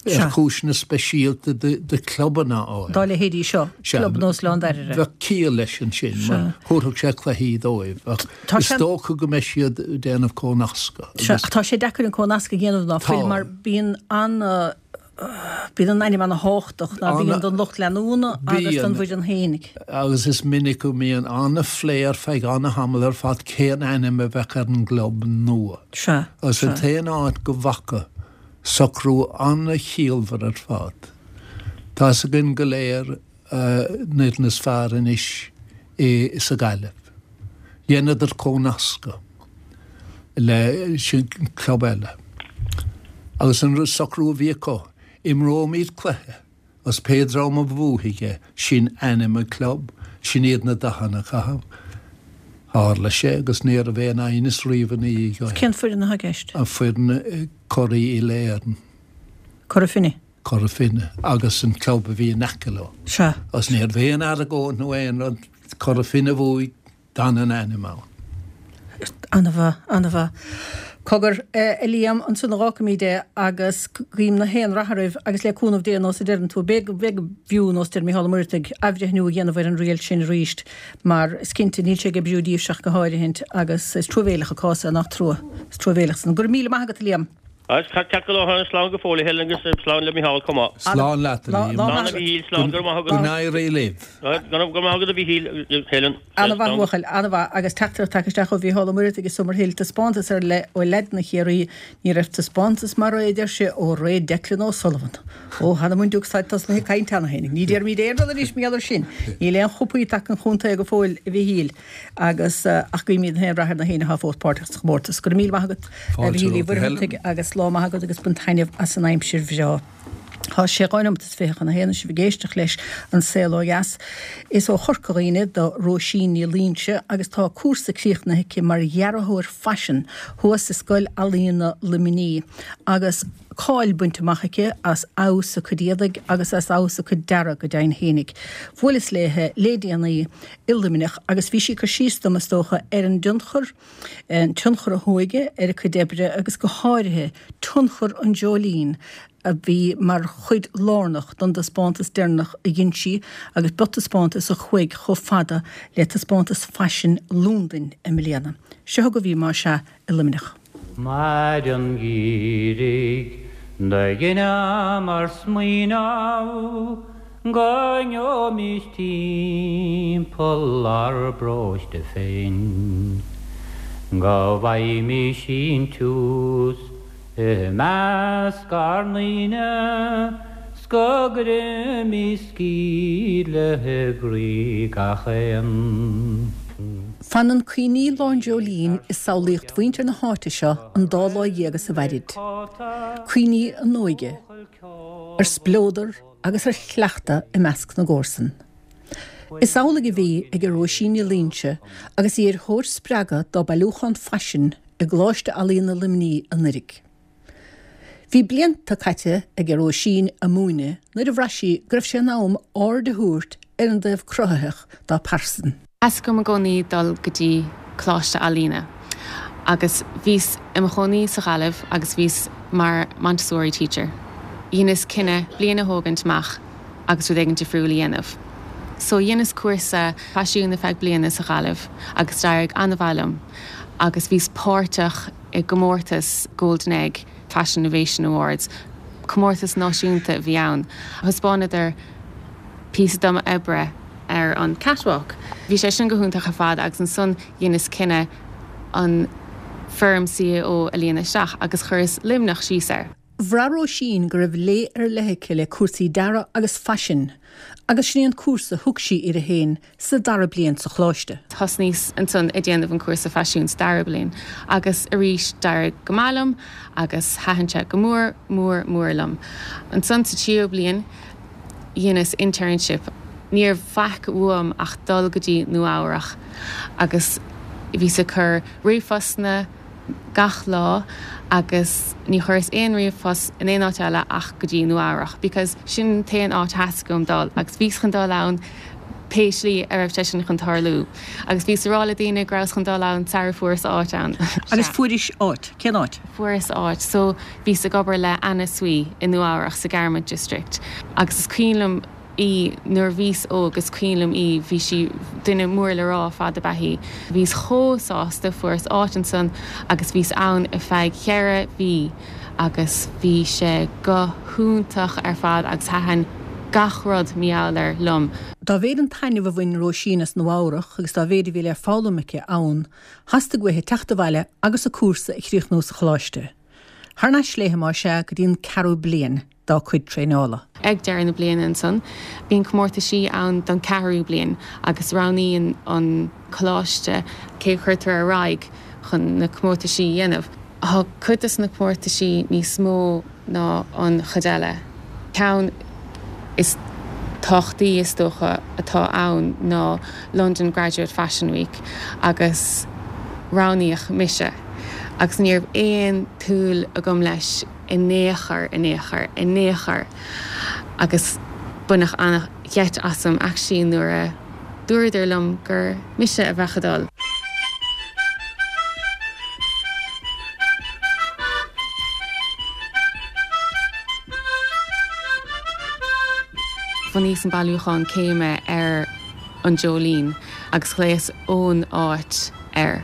ar chúiseanna speisialta do chlubanna áirithe. Dá leithéidí seo, club nós Oileán Dairbhre. Bheadh ciall leis ansin mar thabharfadh sé cluichí dóibh ach is dócha go mbeidh siad ag déanamh comhnascadh. Sea, ach tá sé deacair an comhnasc a dhéanamh ná fuil mar bíonn an Bíonn an ainm ana-thábhachtach ná bíonn don lucht leanúna agus don bhfoireann fhéinig. Agus is minic go mbíonn an-phlé ar feadh an-tamall ar fad cén ainm a bheadh ar an gclub nua. Sea. Agus an t-aon áit go bhfaca socrú an-chiallmhar ar fad. Tá a fhios againn go léir na foirne is fearr anois i sa Ghaillimh. Dheineadar comhnascadh le sin club eile. Agus an socrú a bhí acu, imreoimid cluiche agus pé dream a bhuafaidh é, sin ainm an club, sin iad na dathanna a chaitheamh. Tharla sé agus ní raibh aon aighneas riamh ina dhiaidh ó shin. Cén foireann atá i gceist? An foireann curaidh Uile-Éireann. Cora Finne? Cora Finne agus an club a bhí in aice leo. Sea. Agus ní raibh aon argóint nó aon rud, Cora Finne a bhuaigh, d'fhan an ainm ann. Ana-mhaith, ana-mhaith. Cogar, a Liam, ansan a dh'fhágfaimid é agus guím na haon rath oraibh agus le cúnamh Dé nós a deireann tú, b'fhéidir go bhfiú nós deir Mícheál Ó Muireadhaigh, athbhreithniú a dhéanamh ar an riail sin arís mar is cinnte níl sé ag oibriú daoibhse ach go háirithint agus is truamhéileach an cás é, nach trua? Is truamhéileach san. Go raibh míle maith agat a Liam. Ceart go leor, slán go fóill a Helen agus slán le Micheál chomh maith. Slán leat a Liam. Slán a Mhichíl, slán, go raibh maith agat. Go n-éirí libh. Go raibh maith agat a Mhichíl, Helen. Ana-mhaith buachaill, ana-mhaith. Agus teachtaireacht tagtha isteach ó Mhícheál Ó Muireadhaigh i Summerhill, taispeántas ar leith ó leaideanna Chiarraí. Ní raibh taispeántas mar é, a deir sé, ó ré Declan O'Sullivan. Ó, th'anam 'on diúc, táid tosnaithe ag caint cheana féin. Ní déarfaimid aon rud anois mar gheall air sin. Níl aon chupaí tagtha chun chontae go fóill, a Mhichíl. Agus, ach guímid na haon rath ar na héinne atá fós páirteach sa chomórtas. Go raibh míle maith agat, a Mhichíl Uí Mhuircheartaigh, agus lá maith agat agus bain taitneamh as an aimsir bhreá. Tá sé dhá neomat is fiche chun a haon, sibh ag éisteacht leis An Saol Ó Dheas. Is ó Chorca Dhuibhne do Róisín Ní Loingsigh agus tá a cúrsa críochnaithe aici mar dhearthóir faisin thuas i Scoil Ealaíona Luimnigh agus cáil bainte amach aici as fheabhas a cuid éadaigh agus as fheabhas a cuid dearaidh go deimhin fhéinig. Bhuaileas léithe le déanaí i Luimneach agus bhí sí ag cur síos dom, is dócha, ar an dtionchar, an tionchar a hóige ar a cuid oibre agus go háirithe tionchar an dreoilín a bhí mar chuid lárnach don dtaispeántas deireanach a dhein sí agus ba taispeántas a chuaigh chomh fada le taispeántas faisin Londain i mbliana. Seo chugaibh í más ea i Luimneach. Maidin gheimhridh do dheineamar smaoineamh go ngeobhaimis timpeall ár bparóiste féin, go bhfaighimís síntiús i measc ár ndaoine 's go gcuirfimis scíth i gcroí gach aon. Fanann cuimhní Lá an Dreoilín i samhlaíocht mhuintir na háite seo an dá lá dhéag is a mhairid. Cuimhní a n-óige, ar spleodar agus ar chleachtadh i measc na gcomharsan. Is amhlaidh a bhí ag Róisín Ní Loingsigh agus í ar thóir spreagadh dá bailiúchán faisin i gColáiste Ealaíona Luimnigh anuraidh. Bhí blianta caite ag Róisín ag múineadh nuair a bhraith sí go raibh sé in am aird a thabhairt ar an dtaobh cruthaitheach dá pearsan. Theastaigh uaim i gcónaí dul go dtí coláiste ealaíne agus bhíos i mo chónaí sa Ghaillimh agus bhíos mar Montessori teacher. Dheineas cinneadh bliain a thógaint amach agus rud éigin difriúil a dhéanamh. So dheineas cúrsa faisiún ar feadh bliana sa Ghaillimh agus d'éirigh an-mhaith liom agus bhíos páirteach i gcomórtas Golden Egg Fashion Innovation Awards, comórtas náisiúnta a bhí ann. Thaispeánadar píosa de m'oibre ar an catwalk. Bhí sé sin go hiontach ar fad agus ansan dheineas cinneadh an foirm CAO a líonadh isteach agus chuireas Luimneach síos air. Bhraith Róisín go raibh lé ar leith aici le cúrsaí dearaidh agus faisin agus sin é an cúrsa a thug sí uirthi féin sa dara bliain sa choláiste. Thosnaíos ansan ag déanamh an cúrsa faisiúin sa dara bliain agus arís d'éirigh go maith liom agus thaitin sé go mór mór mór liom. Ansan sa tríú bliain dheineas internship. Ní raibh faic uaim ach dul go dtí Nua Eabhrach agus bhíos ag cur ríomhphostanna gach lá agus ní chuireas aon ríomhphost in aon áit eile ach go dtí Nua Eabhrach because sin an t-aon áit a theastaigh uaim dul agus bhíos chun dul ann pé slí a raibh sé sin chun tarlú agus bhíos ag rá le daoine go rabhas chun dul ann sara fuaireas áit ann. Agus fuairis áit? Cén áit? Fuaireas áit. So bhíos ag obair le Anna Sui i Nua Eabhrach sa Garment District agus is cuimhin liom í nuair a bhíos óg, is cuimhin liom í, bhí sí, duine mór le rá ar fad ab ea í. Bhíos chomh sásta, fuaireas áit ansan agus bhíos ann ar feadh cheithre mhí agus bhí sé go hiontach ar fad agus thaitin gach rud mar gheall air liom. Dá mhéad an taitneamh a bhain Róisín as Nua Eabhrac agus dá mhéad a bhí le foghlaim aici ann, theastaigh uaithi teacht abhaile agus a cúrsa a chríochnú sa choláiste. Thar n-ais léi mar sin go dtí an ceathrú bliain dá cuid traenála. Ag deireadh na bliana ansan, bíonn comórtaisí ann don ceathrú bliain agus roghnaíonn an coláiste cé chuirtear ar aghaidh chun na comórtaisí a dhéanamh. Tá cuid de na comórtaisí níos mó ná an chuid eile. Ceann is tábhachtaí is dócha atá ann ná London Graduate Fashion Week agus roghnaíodh mise. Agus ní raibh aon tsúil agam leis in aon chor in aon chor in aon chor agus baineadh an-gheit asam actually nuair a dúradar liom gur mise a bheadh ag dul. Bhunaíos an bailiúchán céime ar an Jolene agus ghlaos ón áit air.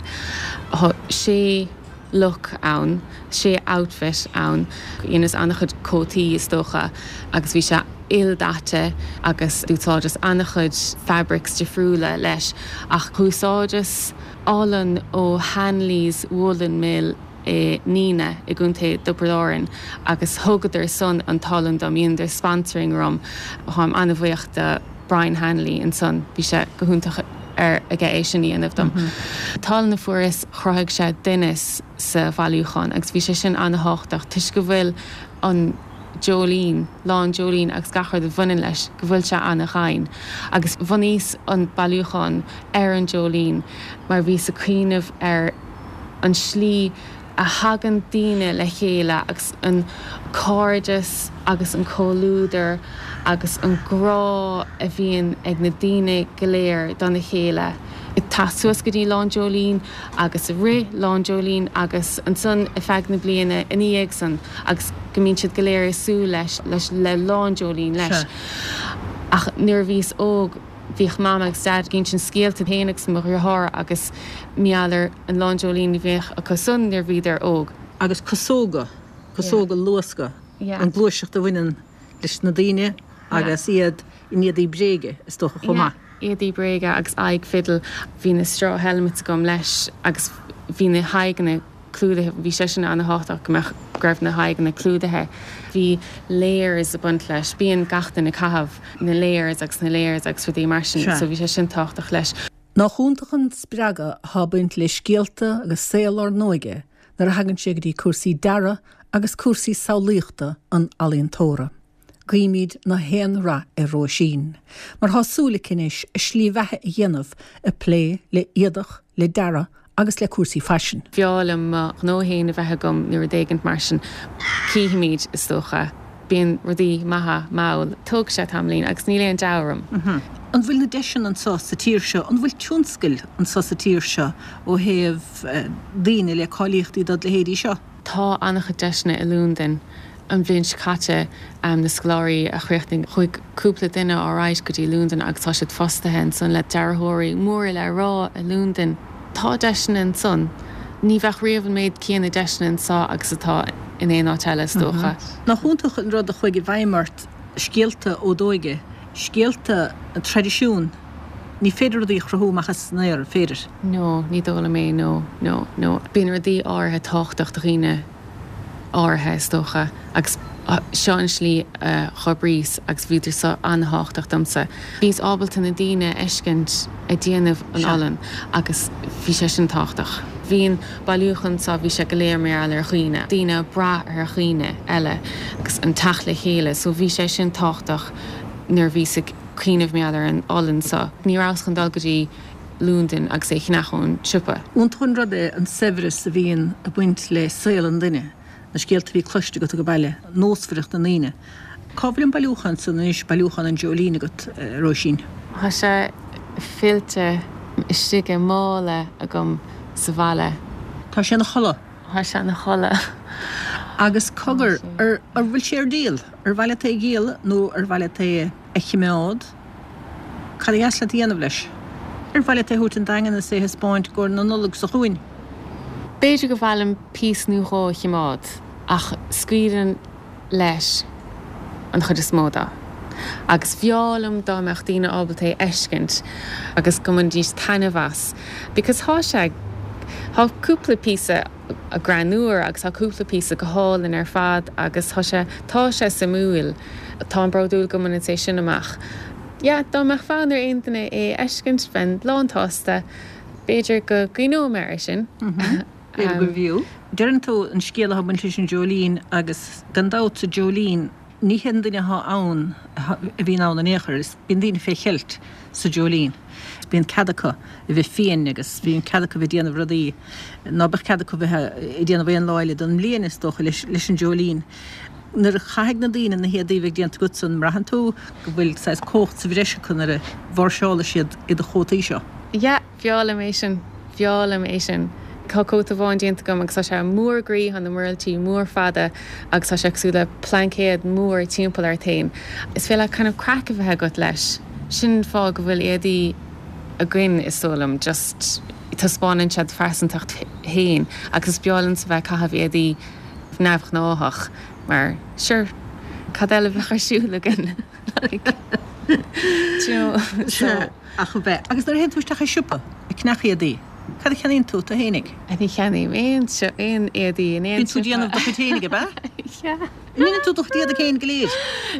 Tá sé look ann, sé outfit ann, dheineas an-chuid cótaí is dócha agus bhí sé ildaite agus d'úsáideas an-chuid fabrics difriúla leis ach úsáideas olann ó Hanley's Woolen Mill i Nenagh i gContae Thiobraid Árann agus thugadar san an t-olann dom, dheineadar sponsoring orm. Táim an-bhuíoch do Brian Hanley ansan, bhí sé go hiontach ar aige é sin a dhéanamh dom. An t-olann a fuaireas chruthaigh sé doimhneas sa bhailiúchán agus bhí sé sin an-thábhachtach toisc go bhfuil an Jolene, Lá an Dreoilín agus gach rud a bhaineann leis, go bhfuil sé an-ghann. Agus bhunaíos an bailiúchán ar an Jolene mar bhíos ag cuimhneamh ar an slí a thagann daoine le chéile agus an cairdeas agus an comhluadar agus an grá a bhíonn ag na daoine go léir dona chéile ag teacht suas go dtí Lá an Dreoilín agus i rith Lá an Dreoilín agus ansan ar feadh na bliana ina dhiaidh san agus go mbíonn siad go léir ag súil leis leis le Lá an Dreoilín leis. Ach nuair a bhíos óg bhíodh Mam agus Dad ag insint scéalta féin agus mo dheartháir agus mar gheall ar an Lá an Dreoilín a bhíodh acu san nuair a bhíodar óg. Agus casóga, casóga luasctha, an gluaiseacht a bhaineann leis na daoine agus iad in éadaí bréige is dócha chomh maith. Éadaí bréige agus aghaidh fidil. Bhí na straw helmets agam leis agus bhí na haghaidheanna clúdaithe, bhí sé sin an-thábhachtach go mbeadh, go raibh na haghaidheanna clúdaithe. Bhí layers ag baint leis, bíonn gach duine ag caitheamh na layers agus na layers agus rudaí mar sin so bhí sé sin tábhachtach leis. Nach iontach an spreagadh atá ag baint le scéalta agus saol ár n-óige nuair a thagann sé go dtí cúrsaí dearaidh agus cúrsaí samhlaíochta an ealaíontóra. Guímid na haon rath ar Róisín, mar tá súil aici anois a slí bheatha a dhéanamh ag plé le éadach, le dearadh agus le cúrsaí faisin. B'fhearr liom mo ghnó féin a bheith agam nó rud éigint mar sin. Cífimid, is dócha. Bíonn rudaí maithe mall. Tógfaidh sé tamaillín agus níl aon deabhadh orm. An bhfuil na deiseanna anseo sa tír seo, an bhfuil tionscail anseo sa tír seo ó thaobh daoine le cáilíochtaí dod leithéidí seo? Tá an-chuid deiseanna i Londain. An bhliain seo caite, na scoláirí a chríochnaigh, chuaigh cúpla duine ar aghaidh go dtí Londain agus tá siad fostaithe ansan le dearthóirí móra le rá i Londain. Tá deiseanna ansan. Ní bheadh riamh an méid céanna deiseanna anseo agus atá in aon áit eile, is dócha. Nach iontach an rud a chuaigh i bhfeidhm ort, scéalta ó d'óige, scéalta, traidisiún. Ní féidir rudaí a chruthú amach as an aer, an féidir? No, ní dóigh liom é, no, no, no. Bíonn rudaí áirithe tábhachtach do dhaoine áirithe, is dócha, agus seo an slí a dh'oibríos agus bhíodar so an-thábhachtach domsa. Bhíos ábalta na daoine a fheiscint ag déanamh an olann agus bhí sé sin tábhachtach. Bhí an bailiúchán so, bhí sé go léir mar gheall ar dhaoine, daoine ag brath ar dhaoine eile agus an teacht le chéile, so bhí sé sin tábhachtach nuair a bhíos ag cuimhneamh mar gheall ar an olann so. Ní rabhas chun dul go dtí Londain agus é a cheannach ón siopa. Iontach an rud é an saibhreas a bhíonn ag baint le saol an duine, na scéalta a bhí cloiste agat ag baile, nósmhaireacht na ndaoine. Cá bhfuil an bailiúchán san anois, bailiúchán an Dreoilín agat, a Róisín? Tá sé fillte istigh i mála agam sa bhaile. Tá sé ina chodladh. Tá sé ina chodladh. Agus cogar, ar bhfuil sé ar díol? Ar mhaith leat é a dhíol nó ar mhaith leat é a chimeád? Cad a dheas leat a dhéanamh leis? Ar mhaith leat é a thabhairt 'on Daingean is é a thaispeáint i gcomhair na Nollag seo chugainn? B'fhéidir gur mhaith liom píosa nó dhó a chimeád. Ach scaoilim leis an chuid is mó de. Agus b'fhearr liom dá mbeadh daoine ábalta é a fheiscint agus go mbainfidís taitneamh as. Because thá sé, thá cúpla píosa greannmhar agus thá cúpla píosa go hálainn ar fad agus thá sé, tá sé suimiúil. Táim bródúil go mbaineann sé sin amach. Yeah, dá mbeadh fonn ar aon duine é a fheiscint, bheinn lán-tsásta. B'fhéidir go gcuimhneoidh mé air sin. B'fhéidir gurbh fhiú. Deireann tú an scéal atá ag baint leis an Dreoilín agus gan dabht sa Dreoilín ní haon duine atá ann a bhíonn ann in aon chor, is bíonn daoine fé cheilt sa Dreoilín. Bíonn cead acu a bheith fiain agus bíonn cead acu a bheith ag déanamh rudaí ná beadh cead acu bheith ag déanamh aon lá eile den mbliain is dócha leis an Dreoilín. Nuair a chaithfidh na daoine na héadaí a bheidh déanta agatsa an mbraitheann tú go bhfuil saghas cumhacht sa bhreis acu nuair a mháirseálfaidh siad i do chótaí seo? Yeah, b'fhearr liom é sin. B'fhearr liom é sin. Tá cóta amháin déanta agam agus tá sé mór groí, tá na muiriltí mór fada agus tá sé cosúil le plaincéad mór timpeall ort féin. Is féidir leat kind of craic a bheith agat leis. Sin an fáth go bhfuil éadaí againn is dóigh liom, just taispeánann sé do phearsantacht féin agus is breá liomsa bheith ag caitheamh éadaí neamhghnáthach mar sure cad eile a bheadh ar siúl againn like do you know so. Sea, ach a bheith. Agus nuair a théann tú isteach i siopa ag ceannach éadaí, cad a cheannaíonn tú tú fhéinig? Ní cheannaím aon aon éadaí in aon Bíonn tú ag siopa. déanamh do chuid fhéinig, ab ea? Yeah. An ndéanann tú do chuid éadaí féin go léir?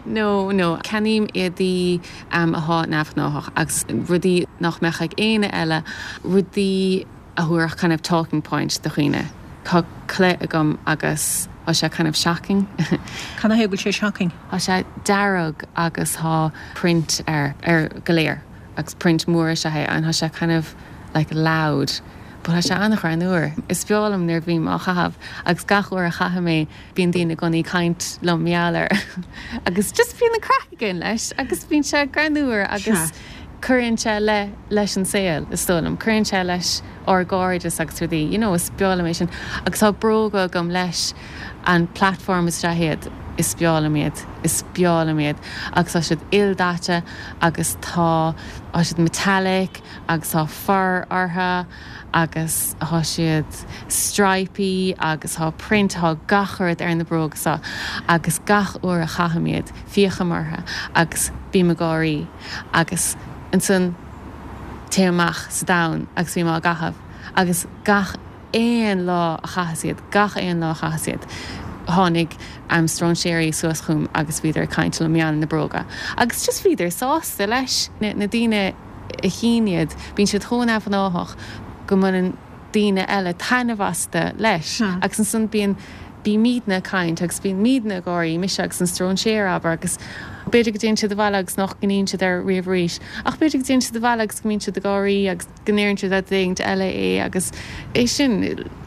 No, no. Ceannaím éadaí atá neamhghnáthach agus rudaí nach mbeadh ag éinne eile, rudaí a thabharfadh kind of talking point do dhaoine. Tá culaith agam agus tá sé kind of shocking. Cad ina thaobh go bhfuil sé shocking? Tá sé dearg agus tá print air, ar go léir agus print mór is ea é and tá sé kind of like loud but tá sé an-ghreannmhar. Is breá liom nuair a bhím á chaitheamh agus gach uair a chaithim é bíonn daoine i gcónaí ag caint liom mar gheall air agus just bíonn an craic againn leis agus bíonn sé greannmhar agus cuireann sé le leis an saol is dóigh liom, cuireann sé leis ár gcairdeas agus rudaí, you know, is breá liom é sin. Agus tá bróga agam leis, an platform is ea iad, is breá liom iad, is breá liom iad agus tá siad ildaite agus tá tá siad metallic agus tá fur orthu agus tá siad stripy agus tá print, tá gach rud ar na bróga seo agus gach uair a chaithim iad féachaim orthu agus bím ag gáirí agus ansan téim amach sa domhan agus bím á gcaitheamh agus gach aon lá a chaitheas iad, gach aon lá a chaitheas iad, tháinig stróinséirí suas chugam agus bhíodar ag caint liom mar gheall ar na bróga agus just bhíodar sásta leis. Na daoine a chíonn iad, bíonn siad chomh neamhghnáthach go mbaineann daoine eile taitneamh astu leis agus ansan bíonn, bímidne ag caint agus bímidne ag gáirí, mise agus an stróinséir, abair, agus b'fhéidir go dtéann siad abhaile agus nach gcuimhníonn siad air riamh arís ach b'fhéidir go dtéann siad abhaile agus go mbíonn siad ag gáirí agus go ndeireann siad le duine éigint eile é agus é sin,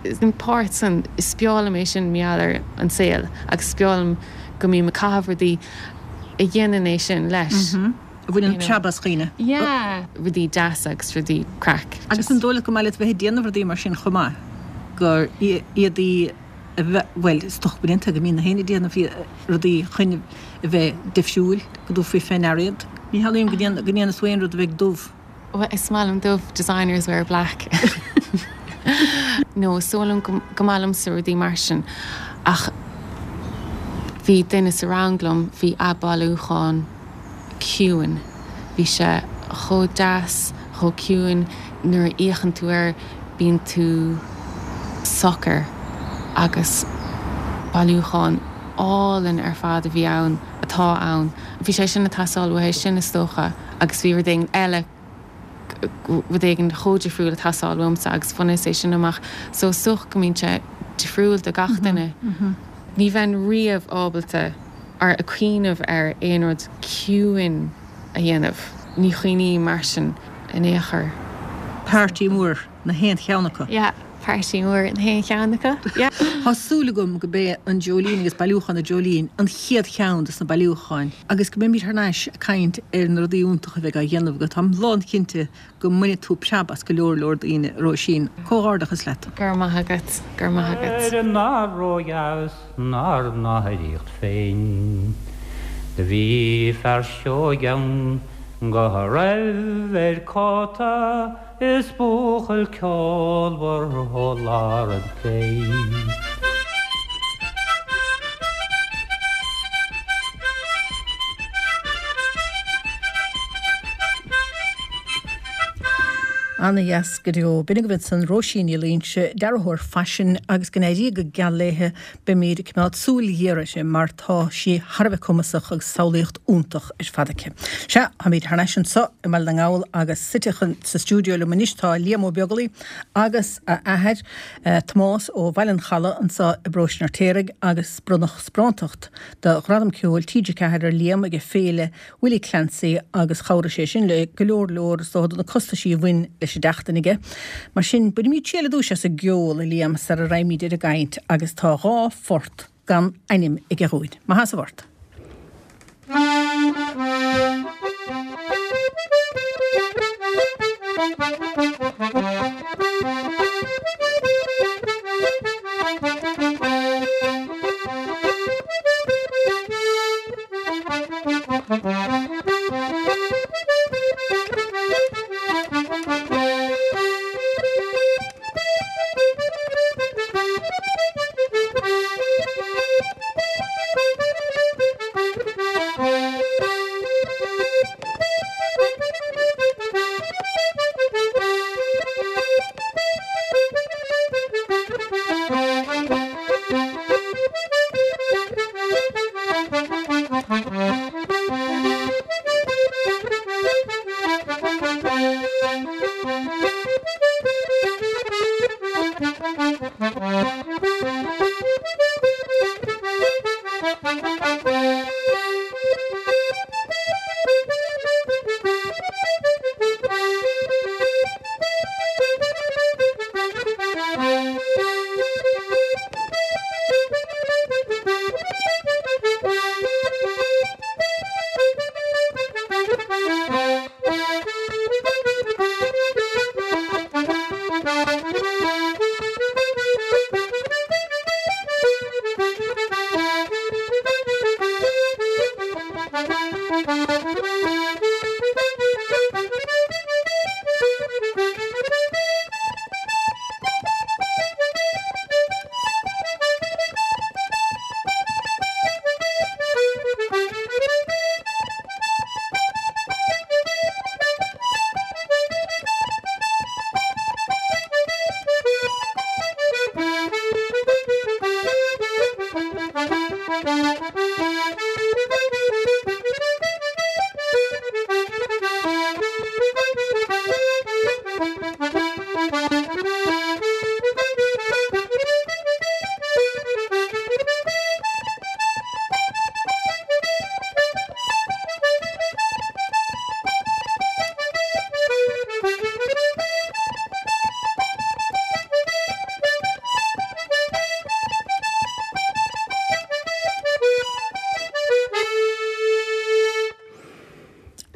an páirt san, is breá liom é sin mar gheall ar an saol agus is breá liom go mbím ag caitheamh rudaí a dhéanann é sin leis. A bhaineann preab as dhaoine. Yeah, rudaí deasa agus rudaí craic. Agus an dóigh leat go maith leat bheith ag déanamh rudaí mar sin chomh maith, gur éadaí a bheith, bhuel, is dócha go mbíonn go mbíonn na héinne ag déanamh rudaí chun a bheith difriúil, go dtabharfaí fé ndeara iad. Ní shamhlaím go ndéanfas tú aon rud a bheidh dubh. Bhuel, is maith liom dubh, designers wear black. No, is dóigh liom go maith liomsa rudaí mar sin ach bhí duine sa rang liom, bhí a bailiúchán ciúin. Bhí sé chomh deas, chomh ciúin, nuair a fhéachann tú air bíonn tú socair agus bailiúchán álainn ar fad a bhí ann, atá ann. Bhí sé sin ag teastáil uaidh sin is dócha agus bhí rud éigin eile, rud éigin chomh difriúil ag teastáil uaimse agus bhaineas é sin amach. So is dócha go mbíonn sé difriúil do gach duine. Ní bheinn riamh ábalta ar a cuimhneamh ar aon rud ciúin a dhéanamh. Ní chuimhním mar sin in aon chor. Party mór na haon cheann acu. Yeah, party mór na haon cheann acu, yeah. Tá súil agam go b'é an Dreoilín agus bailiúchán an Dreoilín an chéad cheann dos na bailiúcháin agus go mbeimid thar n-ais ag caint ar na rudaí iontacha a bheidh á dhéanamh agat. Táim lánchinnte go mbainfidh tú preab as go leor leor daoine, a Róisín. Comhghairdeachas leat. Go raibh maith agat, go raibh maith agat. Éire nár ródheas 'nár n-oidhreacht féin. Do bhí fear seoigh ann go raibh air cóta is buachaill ceolmhar ó lár an phlé. Ana dheas go deo. B'in agaibh ansan Róisín Ní Loingsigh, dearthóir faisin agus go n-éirí go geal léithe, beimid ag coimeád súil ghéar uirthi mar tá sí thar a bheith cumasach agus samhlaíocht iontach ar fad aici. Sea, táimid thar n-ais anso i mBaile na nGall agus suite sa stiúideo liom anois tá Liam Ó Beaglaoi agus a athair, Tomás ó Bhaile an Chalaidh anso i bparóiste an Fheirtéaraigh agus bronnadh sparántacht do Ghradam Ceoil T G ceathair ar Liam ag Féile Willie Clancy agus chabhraigh sé sin le go leor leor is dócha de na costaisí a bhain leis an tseachtain aige. Mar sin, bainimid triail ar dtúis as an gceol, a Liam, sara raghaimid ar an gcaint agus tá dhá phort gan ainm aige dhúinn. Maith as an bport.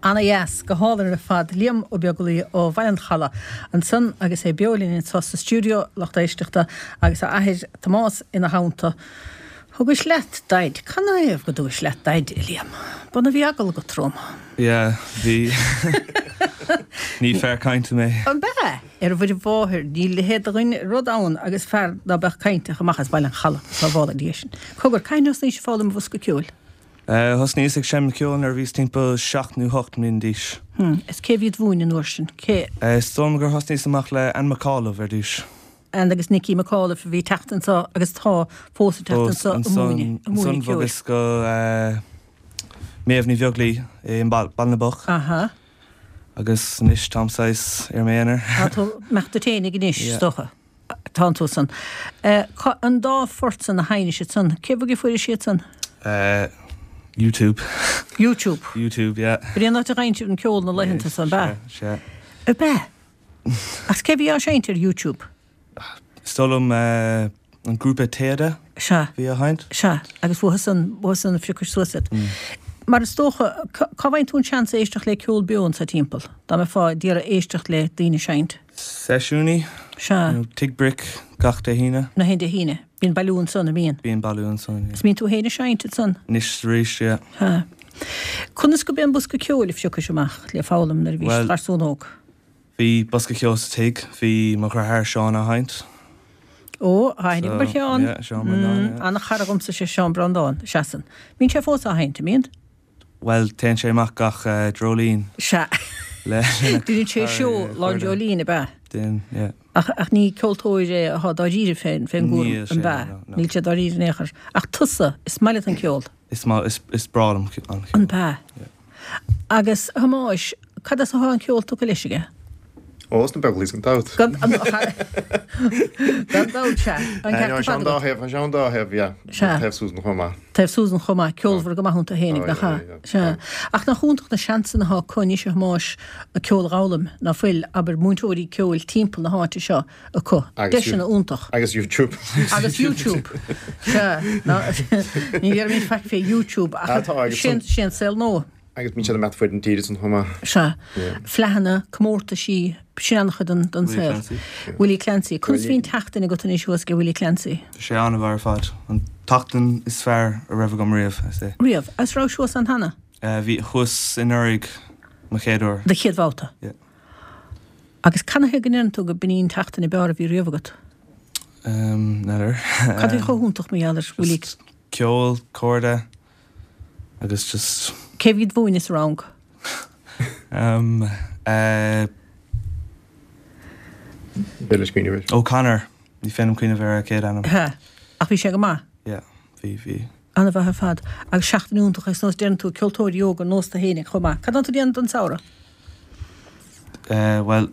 Ana dheas, go hálainn ar fad. Liam Ó Beaglaoi ó Bhaile an Chalaidh ansan agus é beo linn anseo sa stiúideo, lucht éisteachta, agus a athair Tomás ina theannta. Thugais leat Daid. Canathaobh go dtugais leat Daid, a Liam? B'ann a bhí eagal agat romham. Yeah, bhí. Ní fear cainte mé. An b'ea? Ar Mhuire Mháthair, níl a leithéid de dhuine rud ann agus fear ná beadh cainteach amach as Baile an Chalaidh, sábhála Dia sinn. Cogar, cathain a thosnaís ag foghlaim an bhosca ceoil? Thosnaíos ag seinm ceoil nuair a bhíos timpeall seacht nó hocht mbliana d'aois. Is cé a bhí id mhúineadh an uair sin? Cé? Is dóigh liom gur thosnaíos amach le Anne McAuliffe ar dtús. Anne agus Nicky McAuliffe a bhí ag teacht anseo agus tá fós ag teacht anseo ag múineadh, ag múineadh Ansan ceoil. bhogas go Méabh Ní Bheaglaoi i mBaile na mBocht. Aha. Agus anois táim saghas ar m'aonar. Tá tú amach duit fhéinig anois, is dócha. Tánn tú san. An dá phort san a sheinnis ansan, cé bhfuair fuairis iad san? YouTube. YouTube? YouTube, yeah. B'in é an áit a bhfaigheann sibh an ceol na laethanta san, ab ea? Sea, sea. Ab ea? Ach cé bhí á seinnt ar YouTube? Is dóigh liom an grúpa Téada. Sea. Bhí á sheinnt. Sea, agus uathu san, uathu san a phiocais suas iad. Mar is dócha, cá bhfaigheann tú an seans éisteacht le ceol beo anso timpeall, dá mbeifeá ag iarraidh éisteacht le daoine ag seinnt? Seisiúnaí. Sea. Nó Tigh Bric gach Dé hAoine. Nach aon Dé hAoine. Bíonn bailiú ansan, an mbíonn? Bíonn bailiú ansan, yeah. Is mbíonn tú féin ag seinnt ansan? Anois is arís, yeah. Sea. Conas go b'é an bosca ceoil a phiocais amach le foghlaim nuair a bhís Bhuel, garsún óg? Bhí bosca ceoil sa tigh, bhí mo dheartháir Seán á sheinnt. Ó, tá aithne agam ar Sheán. Yeah, Seán Breandán, yeah. An-chara dhomsa sé Seán Breandán, seasann. Mbíonn sé fós á sheinnt, an mbíonn? Bhuel, téann sé amach gach dreoilín. Sea. Le Déanann sé seó Lá Dreoilín ab ea? Déanann, yeah. Ach ach ní ceoltóir é atá dáiríre fén fén gcúram, Níl sé, an b'ea? no, no. Níl sé dáiríre in aon chor. Ach tusa, is maith leat an ceol. Is maith, is is breá liom an ceol. An b'ea? Yeah. Agus a Thomáis, cad as atá an ceol tugtha leis aige? Ó, sna Beaglaoich gan dabht. Gan gan dabht, sea. An ceart Tá ar sé fad an dá agat. thaobh, tá sé an dá thaobh, yeah. Sea. Taobh Susan chomh maith. Taobh Susan chomh maith, ceolmhar go maith iontu fhéinig, Oh, nach yeah, ea? yeah, Sea. yeah. Ach nach iontach na seansanna atá acu anois a Thomáis an ceol a dh'fhoghlaim, ná fuil, abair, múinteoirí ceoil timpeall na háite seo acu. Agus Deiseanna iontach. Agus YouTube. Agus YouTube. Sea. Ná, ní dhéarfaimid faic fé YouTube ach Ah, tá, agus sé san- sé an saol nua. Agus bíonn siad ag imeacht fud an tíre san chomh maith. Sea. Yeah. Fleadhanna, comórtaisí, sin an-chuid den den Willie saol. Clancy. Willie Clancy. Conas Willie- bhí an tseachtain agat anois thuas ag Willie Clancy? Tá sé an-mhaith ar fad. An tseachtain is fearr a raibh agam riamh, I say. Riamh, agus raibh thuas ann cheana? Uh, bhí thuas anuraidh mo chéad uair. Do chéad bhabhta. Yeah. Agus canathaobh go ndeireann tú go b'in í an tseachtain ab fhearr a bhí riamh agat? Um, n'fheadar. Cad é chomh hiontach mar gheall ar Willie? Just ceol, cairde, agus just Cé bhí ag múineadh sa rang? um, uh, B'fhéidir cuimhneamh air. O'Connor. Ní féidir liom cuimhneamh ar a chéad ainm. He. Ach bhí sé go maith. Yeah, bhí bhí. An-mhaith ar fad. Agus seachtain iontach is nós deireann tú ceoltóirí óga ar nós tú fhéinig chomh maith. Cad tá tú ag déanamh don samhradh? Uh, well,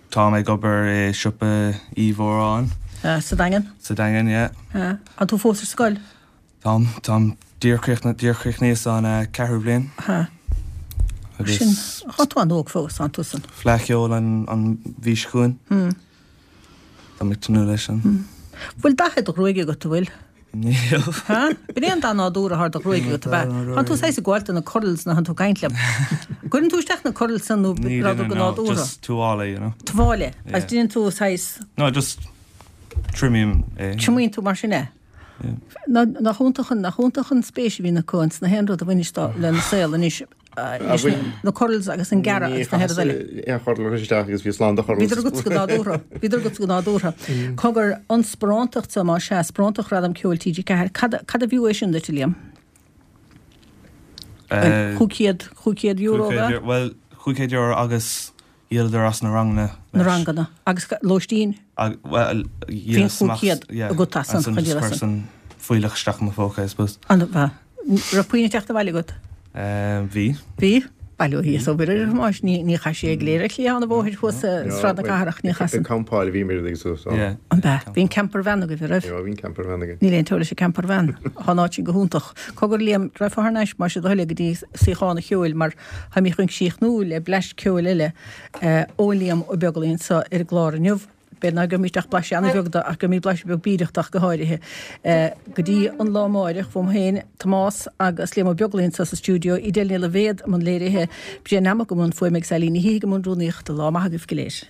tá mé ag obair i siopa Uí Mhóráin Uh, sa Daingean? sa Daingean, yeah. Uh, an tú fós ar scoil? Táim táim díreach chríochnaíos an uh, ceathrú bliain Ha. agus Sin tá tú an-óg fós an tusan. Fleadh Cheoil an an mhí seo chugainn. Hmm. Tá mé ag tnúth leis an. Bhfuil dath ar do ghruaig agat an bhfuil? Níl. Ha? B'in é an dath nádúrtha atá ar do ghruaig agat ab ea. Tá tú saghas ag gabháil do na curls na han tú caint liom. Cuireann tú isteach na curls san nó Ní rud go no, nádúrtha. just tuála, you know. Tuáille, Yeah. agus déanann tú saghas No, just trimím é. triomaíonn tú mar sin é. Yeah. Na nach iontach an nach iontach an spéis a bhíonn acu ins na haon rud a bhaineas lena saol anois Ah, bhfuil- na curls agus an gearradh agus na head eile. Aon churl isteach agus bhí slán de churls. Bhíodar agat go nádúrtha, bhíodar agat go nádúrtha. Cogar an sparántacht sa má sé sparántacht Ghradam Ceoil TG Ceathair, cad cad a bhí é sin duit Liam? Uh, Cúig chéad cúig chéad euro cúig chéad Well, cúig chéad euro agus dhíoladar as na ranganna. na leis. ranganna agus lóistín Ag- Well, Bhí an cúig chéad agat as an an chun díol as person fuíollach isteach i mo phóca, I suppose. an bha. Raibh puinn ag teacht abhaile agat? Um, bhí. Bhí? Bail ó Dhia is obair ar Thomáis ní ní chaith sé ag léir cliath an bhóthair thuas Sráid na Cathrach ní Ag chasan. campáil a bhí mé agus so. Yeah. An b'ea, bhí an camper van agaibh an raibh. Ní bhí camper van againn. Níl aon teora leis an camper van. Tá an áit sin go hiontach. Cogar Liam raghfá thar n-ais mar sé do thoil go dtí suíochán an cheoil mar tháimid chun críochnú le blaiseadh ceoil eile ó Liam Ó Beaglaoich anseo ar an gclár inniu. B'fhéidir nach gcuirfimid ach blaiseadh an-bheag de ach gcuirfimid blaiseadh beag bídeach ach go háirithe. Go dtí an lá amárach uaim féin Tomás agus Liam Ó Beaglaoich anseo sa stiúideo Edel Ní Loibhéad i mbun léirithe Brian Nammock i mbun fuaime agus Eileen Ní hÍg i mbun rúnaíochta lá maith agaibh go léir.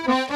Thank you.